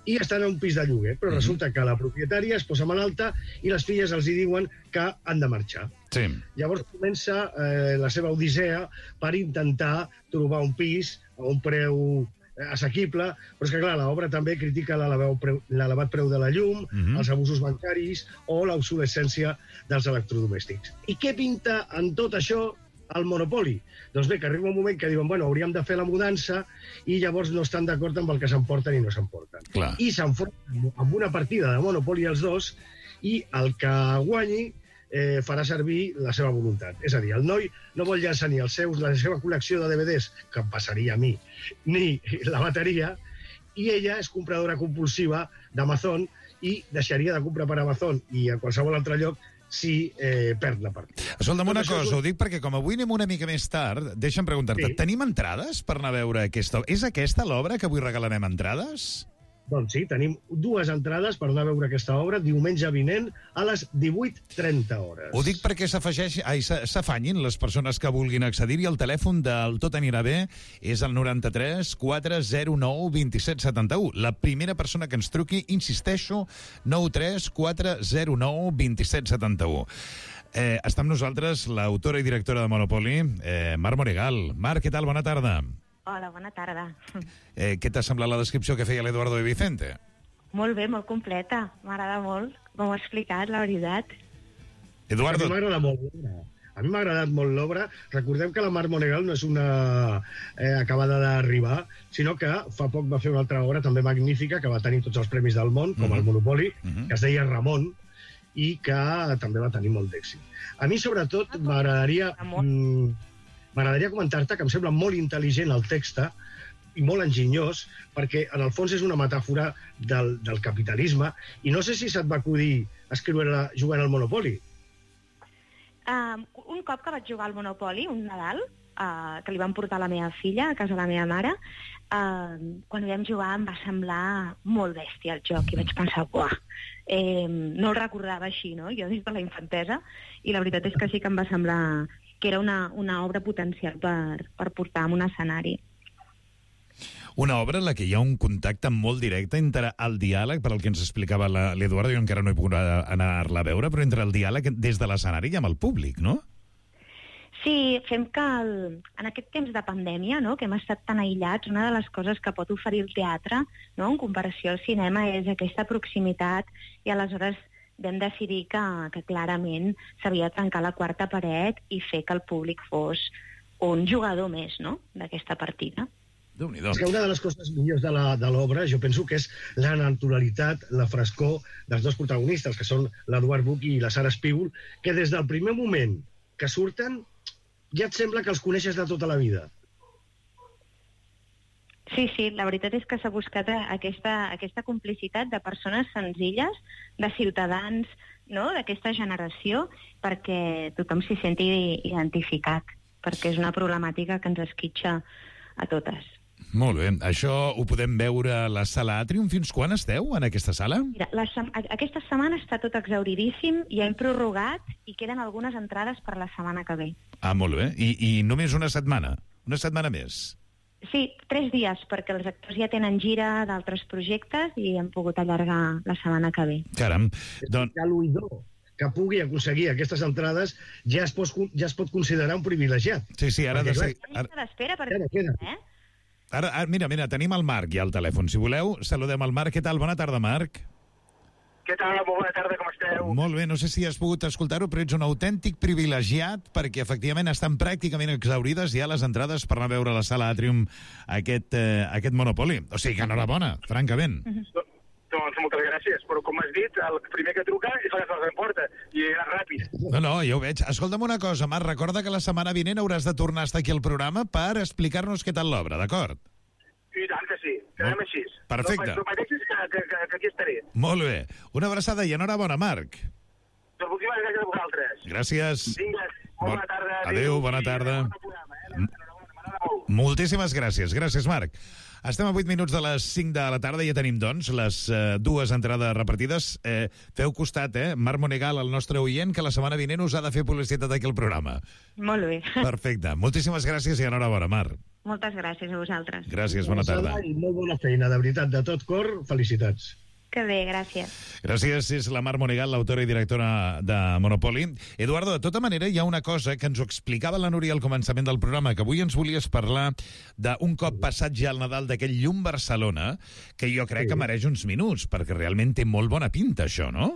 i estan a un pis de lloguer, però mm-hmm. resulta que la propietària es posa malalta i les filles els hi diuen que han de marxar. Sí. Llavors comença eh, la seva odissea per intentar trobar un pis a un preu assequible, però és que, clar, l'obra també critica l'elevat preu de la llum, mm-hmm. els abusos bancaris o l'obsolescència dels electrodomèstics. I què pinta en tot això al monopoli. Doncs bé, que arriba un moment que diuen, bueno, hauríem de fer la mudança i llavors no estan d'acord amb el que s'emporten i no s'emporten. Clar. I s'enfronten amb una partida de monopoli els dos i el que guanyi eh, farà servir la seva voluntat. És a dir, el noi no vol llançar ni els seus, la seva col·lecció de D V Ds, que em passaria a mi, ni la bateria, i ella és compradora compulsiva d'Amazon i deixaria de comprar per Amazon i a qualsevol altre lloc si eh, perd la partida. Escolta'm una cosa, és... ho dic perquè com avui anem una mica més tard, deixa'm preguntar-te, sí. Tenim entrades per anar a veure aquesta... És aquesta l'obra que avui regalarem entrades? Doncs sí, tenim dues entrades per anar a veure aquesta obra diumenge vinent a les divuit trenta hores. Ho dic perquè s'afegeix, ai, s'afanyin les persones que vulguin accedir-hi. El telèfon del Tot anirà bé és el noranta-tres quatre zero nou vint set setanta-u. La primera persona que ens truqui, insisteixo, nou tres quatre zero nou vint set setanta-u. Eh, està amb nosaltres l'autora i directora de Monopoli, eh, Mar Monegal. Mar, què tal? Bona tarda. Hola, bona tarda. Eh, què t'ha semblat la descripció que feia l'Eduardo de Vicente? Molt bé, molt completa. M'agrada molt com ho ha explicat, la veritat. Eduardo... A mi m'agrada molt l'obra. A mi m'ha agradat molt l'obra. Recordem que la Mar Monegal no és una eh, acabada d'arribar, sinó que fa poc va fer una altra obra també magnífica, que va tenir tots els premis del món, com mm-hmm. el Monopoli, mm-hmm. que es deia Ramon, i que també va tenir molt d'èxit. A mi, sobretot, m'agradaria... Mm, M'agradaria comentar-te que em sembla molt intel·ligent el text i molt enginyós, perquè en el fons és una metàfora del, del capitalisme, i no sé si se't va acudir escriure jugant al Monopoli. Uh, un cop que vaig jugar al Monopoli, un Nadal, uh, que li van portar la meva filla a casa de la meva mare, uh, quan vam jugar em va semblar molt bèstia el joc, i vaig pensar, buah, eh, no el recordava així, no?, jo des de la infantesa, i la veritat és que sí que em va semblar... que era una, una obra potencial per, per portar en un escenari. Una obra en la que hi ha un contacte molt directe entre el diàleg, per al que ens explicava l'Eduardo, jo encara no he pogut anar-la a veure, però entre el diàleg des de l'escenari i amb el públic, no? Sí, fem que el, en aquest temps de pandèmia, no?, que hem estat tan aïllats, una de les coses que pot oferir el teatre, no?, en comparació al cinema, és aquesta proximitat, i aleshores vam decidir que, que clarament s'havia de trencar la quarta paret i fer que el públic fos un jugador més, no?, d'aquesta partida. És que una de les coses millors de l'obra, jo penso que és la naturalitat, la frescor dels dos protagonistes, que són l'Eduard Buch i la Sara Espígol, que des del primer moment que surten ja et sembla que els coneixes de tota la vida. Sí, sí, la veritat és que s'ha buscat aquesta, aquesta complicitat de persones senzilles, de ciutadans, no?, d'aquesta generació, perquè tothom s'hi senti identificat, perquè és una problemàtica que ens esquitxa a totes. Molt bé. Això ho podem veure a la Sala Atrium. Fins quan esteu en aquesta sala? Mira, la, aquesta setmana està tot exhauridíssim, ja hem prorrogat i queden algunes entrades per la setmana que ve. Ah, molt bé. I, i només una setmana? Una setmana més? Sí, tres dies, perquè els actors ja tenen gira d'altres projectes i hem pogut allargar la setmana que ve. Caram. Don... Ja l'oïdor que pugui aconseguir aquestes entrades ja es, pot, ja es pot considerar un privilegiat. Sí, sí, ara... Perquè, de... Ara... d'espera perquè... Queda, queda. Eh? Ara, ara, mira, mira, tenim el Marc ja al telèfon. Si voleu, saludem el Marc. Què tal? Bona tarda, Marc. Què tal? Molt bona tarda, com esteu? Molt bé, no sé si has pogut escoltar-ho, però ets un autèntic privilegiat perquè efectivament estan pràcticament exaurides ja les entrades per anar a veure a la Sala Atrium aquest, eh, aquest Monopoli. O sigui que enhorabona, francament. Uh-huh. Doncs moltes gràcies, però com has dit, el primer que truca és el que se l'emporta, i era ràpid. No, no, ja ho veig. Escolta'm una cosa, Marc, recorda que la setmana vinent hauràs de tornar a estar aquí al programa per explicar-nos què tal l'obra, d'acord? I tant que sí, quedem així. Perfecte. No pateixis que, que, que, que aquí estaré. Molt bé. Una abraçada i enhorabona, Marc. Doncs moltíssimes gràcies a vosaltres. Gràcies. Vinga, molt bona tarda. Adéu, bona tarda. Moltíssimes gràcies. Gràcies, Marc. Estem a vuit minuts de les cinc de la tarda i ja tenim, doncs, les eh, dues entrades repartides. Eh, feu costat, eh? Marc Monegal, el nostre oient, que la setmana vinent us ha de fer publicitat aquí al programa. Molt bé. Perfecte. Moltíssimes gràcies i enhorabona, Marc. Moltes gràcies a vosaltres. Gràcies, bona tarda. I molt bona feina, de veritat, de tot cor, felicitats. Que bé, gràcies. Gràcies, és la Mar Monegal, l'autora i directora de Monopoli. Eduardo, de tota manera, hi ha una cosa que ens ho explicava la Núria al començament del programa, que avui ens volies parlar d'un cop passat ja el Nadal d'aquell llum Barcelona, que jo crec que mereix uns minuts, perquè realment té molt bona pinta, això, no?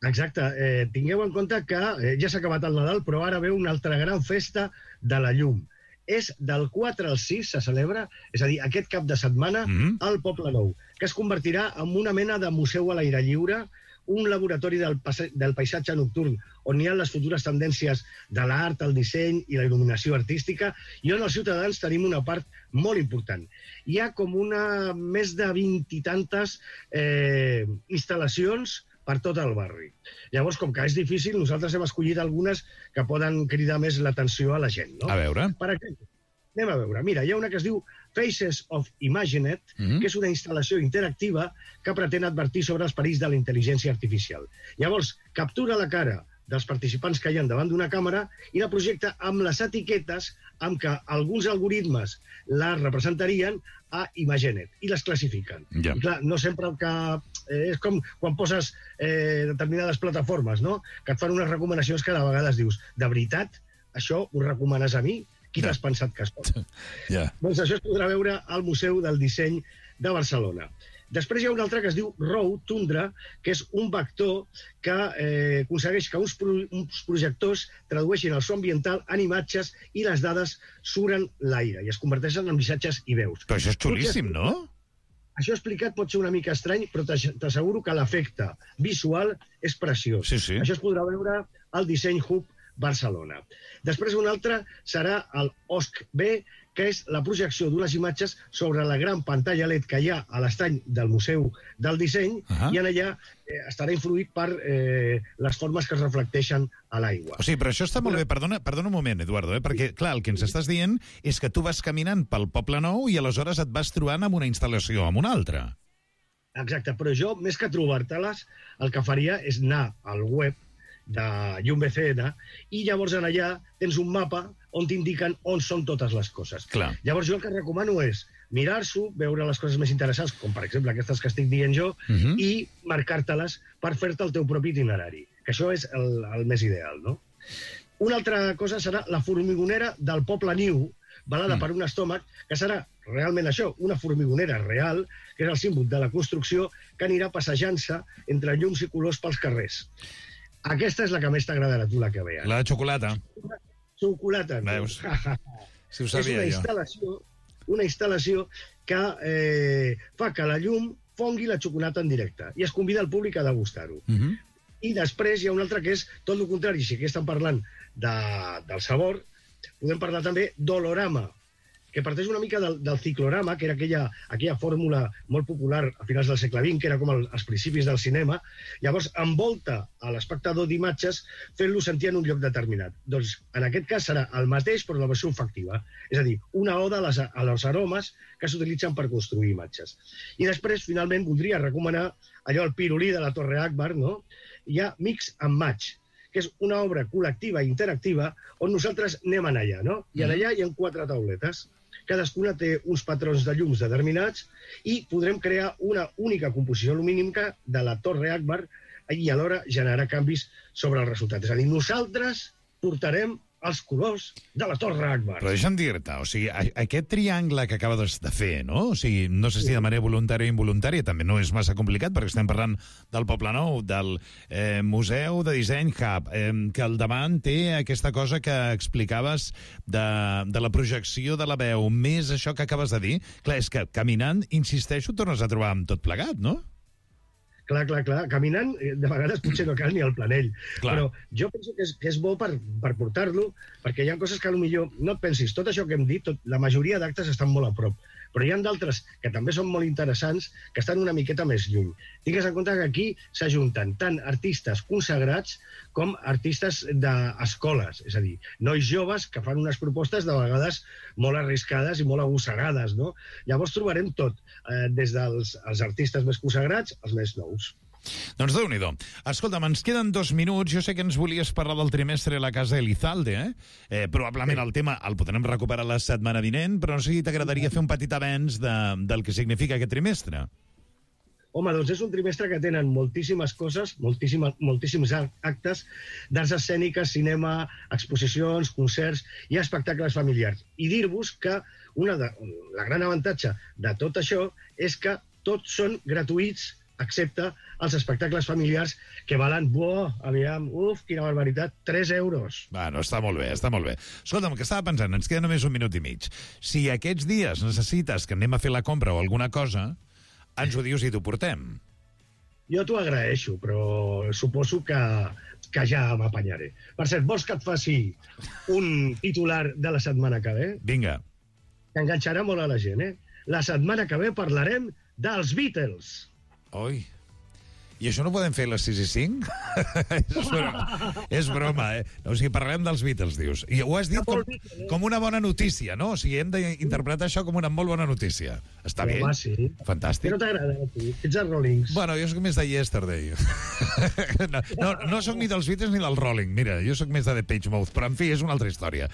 Exacte. Eh, tingueu en compte que eh, ja s'ha acabat el Nadal, però ara ve una altra gran festa de la llum. És del quatre al sis, se celebra, és a dir, aquest cap de setmana, mm-hmm. al Poble Nou, que es convertirà en una mena de museu a l'aire lliure, un laboratori del, del paisatge nocturn, on hi ha les futures tendències de l'art, el disseny i la il·luminació artística, i on els ciutadans tenim una part molt important. Hi ha com una més de vint i tantes eh, instal·lacions per tot el barri. Llavors, com que és difícil, nosaltres hem escollit algunes que poden cridar més l'atenció a la gent. No? A veure. Per exemple, anem a veure. Mira, hi ha una que es diu Faces of Imaginet, mm-hmm. que és una instal·lació interactiva que pretén advertir sobre els perills de la intel·ligència artificial. Llavors, captura la cara dels participants que hi ha davant d'una càmera i la projecta amb les etiquetes amb què alguns algoritmes la representarien a Imagenet i les classifiquen. Ja. I clar, no sempre el que... Eh, és com quan poses eh, determinades plataformes, no? Que et fan unes recomanacions que de vegades dius, de veritat, això ho recomanes a mi? Qui ja. T'has pensat que es pot? Ja. Doncs això es podrà veure al Museu del Disseny de Barcelona. Després hi ha un altre que es diu Row Tundra, que és un vector que eh, aconsegueix que uns, pro uns projectors tradueixin el so ambiental en imatges i les dades suren l'aire i es converteixen en missatges i veus. Però això és xulíssim, no? Això explicat pot ser una mica estrany, però t'asseguro que l'efecte visual és preciós. Sí, sí. Això es podrà veure al Disseny Hub Barcelona. Després un altre serà el O S C B, que és la projecció d'unes imatges sobre la gran pantalla L E D que hi ha a l'estany del Museu del Disseny, uh-huh. i en allà eh, estarà influït per eh, les formes que es reflecteixen a l'aigua. O sigui, però això està molt bé. Perdona, perdona un moment, Eduardo, eh? Perquè, clar, el que ens estàs dient és que tu vas caminant pel Poble Nou i aleshores et vas trobant amb una instal·lació, amb una altra. Exacte, però jo, més que trobar-te-les, el que faria és anar al web de Llum B C N i llavors en allà tens un mapa on t'indiquen on són totes les coses. Clar. Llavors jo el que recomano és mirar-s'ho, veure les coses més interessants, com per exemple aquestes que estic dient jo, uh-huh. i marcar-te-les per fer-te el teu propi itinerari, que això és el, el més ideal, no? Una altra cosa serà la formigonera del Poble Niu, balada mm. per un estómac, que serà realment això, una formigonera real, que és el símbol de la construcció, que anirà passejant-se entre llums i colors pels carrers. Aquesta és la que més t'agradarà, tu, la que veus. La de xocolata. Xocolata. No? Veus? Si ho sabia és una jo. Instal·lació, una instal·lació que eh, fa que la llum fongui la xocolata en directe i es convida el públic a degustar-ho. Uh-huh. I després hi ha un altre que és tot el contrari. Si aquí estan parlant de, del sabor, podem parlar també d'olorama, que parteix una mica del, del ciclorama, que era aquella, aquella fórmula molt popular a finals del segle vint, que era com el, els principis del cinema. Llavors envolta a l'espectador d'imatges fent-lo sentir en un lloc determinat. Doncs en aquest cas serà el mateix, però la versió olfactiva. És a dir, una oda a les, a les aromes que s'utilitzen per construir imatges. I després, finalment, voldria recomanar allò, el pirulí de la Torre Akbar, no? Hi ha Mix and Match, que és una obra col·lectiva i interactiva on nosaltres anem en allà, no? I en allà hi ha quatre tauletes. Cadascuna té uns patrons de llums determinats i podrem crear una única composició lumínica de la Torre Akbar i alhora generar canvis sobre el resultat. És a dir, nosaltres portarem els colors de la Torre Akbar. Però deixa'm dir-te, o sigui, aquest triangle que acabes de fer, no? O sigui, no sé si de manera voluntària o involuntària, també no és massa complicat, perquè estem parlant del Poble Nou, del eh, Museu de Disseny Hub, eh, que al davant té aquesta cosa que explicaves de, de la projecció de la veu, més això que acabes de dir. Clar, és que caminant, insisteixo, tornes a trobar amb tot plegat, no? Clar, clar, clar. Caminant, de vegades potser no cal ni el planell. Clar. Però jo penso que és, que és bo per, per portar-lo, perquè hi ha coses que potser no et pensis. Tot això que hem dit, tot, la majoria d'actes estan molt a prop. Però hi ha d'altres que també són molt interessants, que estan una miqueta més lluny. Tingues en compte que aquí s'ajunten tant artistes consagrats com artistes d'escoles, és a dir, nois joves que fan unes propostes de vegades molt arriscades i molt agossegades, no? Llavors trobarem tot, eh, des dels els artistes més consagrats als més nous. Doncs Déu-n'hi-do. Escolta'm, ens queden dos minuts. Jo sé que ens volies parlar del trimestre a la Casa Elizalde, eh? eh probablement el tema el podrem recuperar la setmana vinent, però no sé si t'agradaria fer un petit avenç de, del que significa aquest trimestre. Home, doncs és un trimestre que tenen moltíssimes coses, moltíssimes, moltíssims actes, d'arts escèniques, cinema, exposicions, concerts i espectacles familiars. I dir-vos que una de, la gran avantatge de tot això és que tots són gratuïts excepte els espectacles familiars que valen, buah, aviam, uf, quina barbaritat, tres euros. Bueno, està molt bé, està molt bé. Escolta'm, que estava pensant, ens queda només un minut i mig. Si aquests dies necessites que anem a fer la compra o alguna cosa, ens ho dius i t'ho portem. Jo t'ho agraeixo, però suposo que, que ja m'apanyaré. Per cert, vols que et faci un titular de la setmana que ve? Vinga. Que enganxarà molt a la gent, eh? La setmana que ve parlarem dels Beatles. Oi. I això no ho podem fer a les sis i cinc? és, broma, és broma, eh? No, o sigui, parlem dels Beatles, dius. I ho has dit com, com una bona notícia, no? O sigui, hem d'interpretar això com una molt bona notícia. Està bé? Home, sí. Fantàstic. Però t'agrada a tu, ets els Rollings. Bueno, jo soc més de Yesterday. no, no, no soc ni dels Beatles ni del Rolling. Mira, jo soc més de The Page Mouth, però en fi, és una altra història.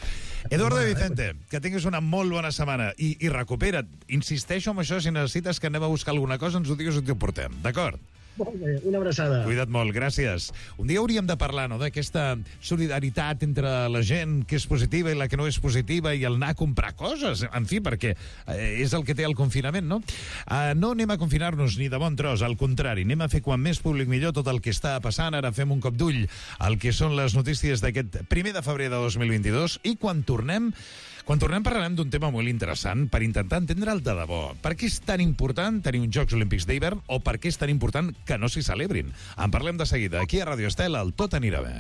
Eduardo Vicente, que tinguis una molt bona setmana i, i recupera't. Insisteixo en això, si necessites que anem a buscar alguna cosa, ens ho digues i t'ho portem, d'acord? Molt bé, una abraçada. Cuida't molt, gràcies. Un dia hauríem de parlar, no?, d'aquesta solidaritat entre la gent que és positiva i la que no és positiva i el anar a comprar coses, en fi, perquè eh, és el que té el confinament, no? Uh, no anem a confinar-nos ni de bon tros, al contrari, anem a fer quan més públic millor tot el que està passant. Ara fem un cop d'ull al que són les notícies d'aquest primer de febrer de dos mil vint-i-dos i quan tornem Quan tornem parlarem d'un tema molt interessant per intentar entendre'l de debò. Per què és tan important tenir uns Jocs Olímpics d'hivern o per què és tan important que no s'hi celebrin? En parlem de seguida, aquí a Ràdio Estel, el Tot anirà bé.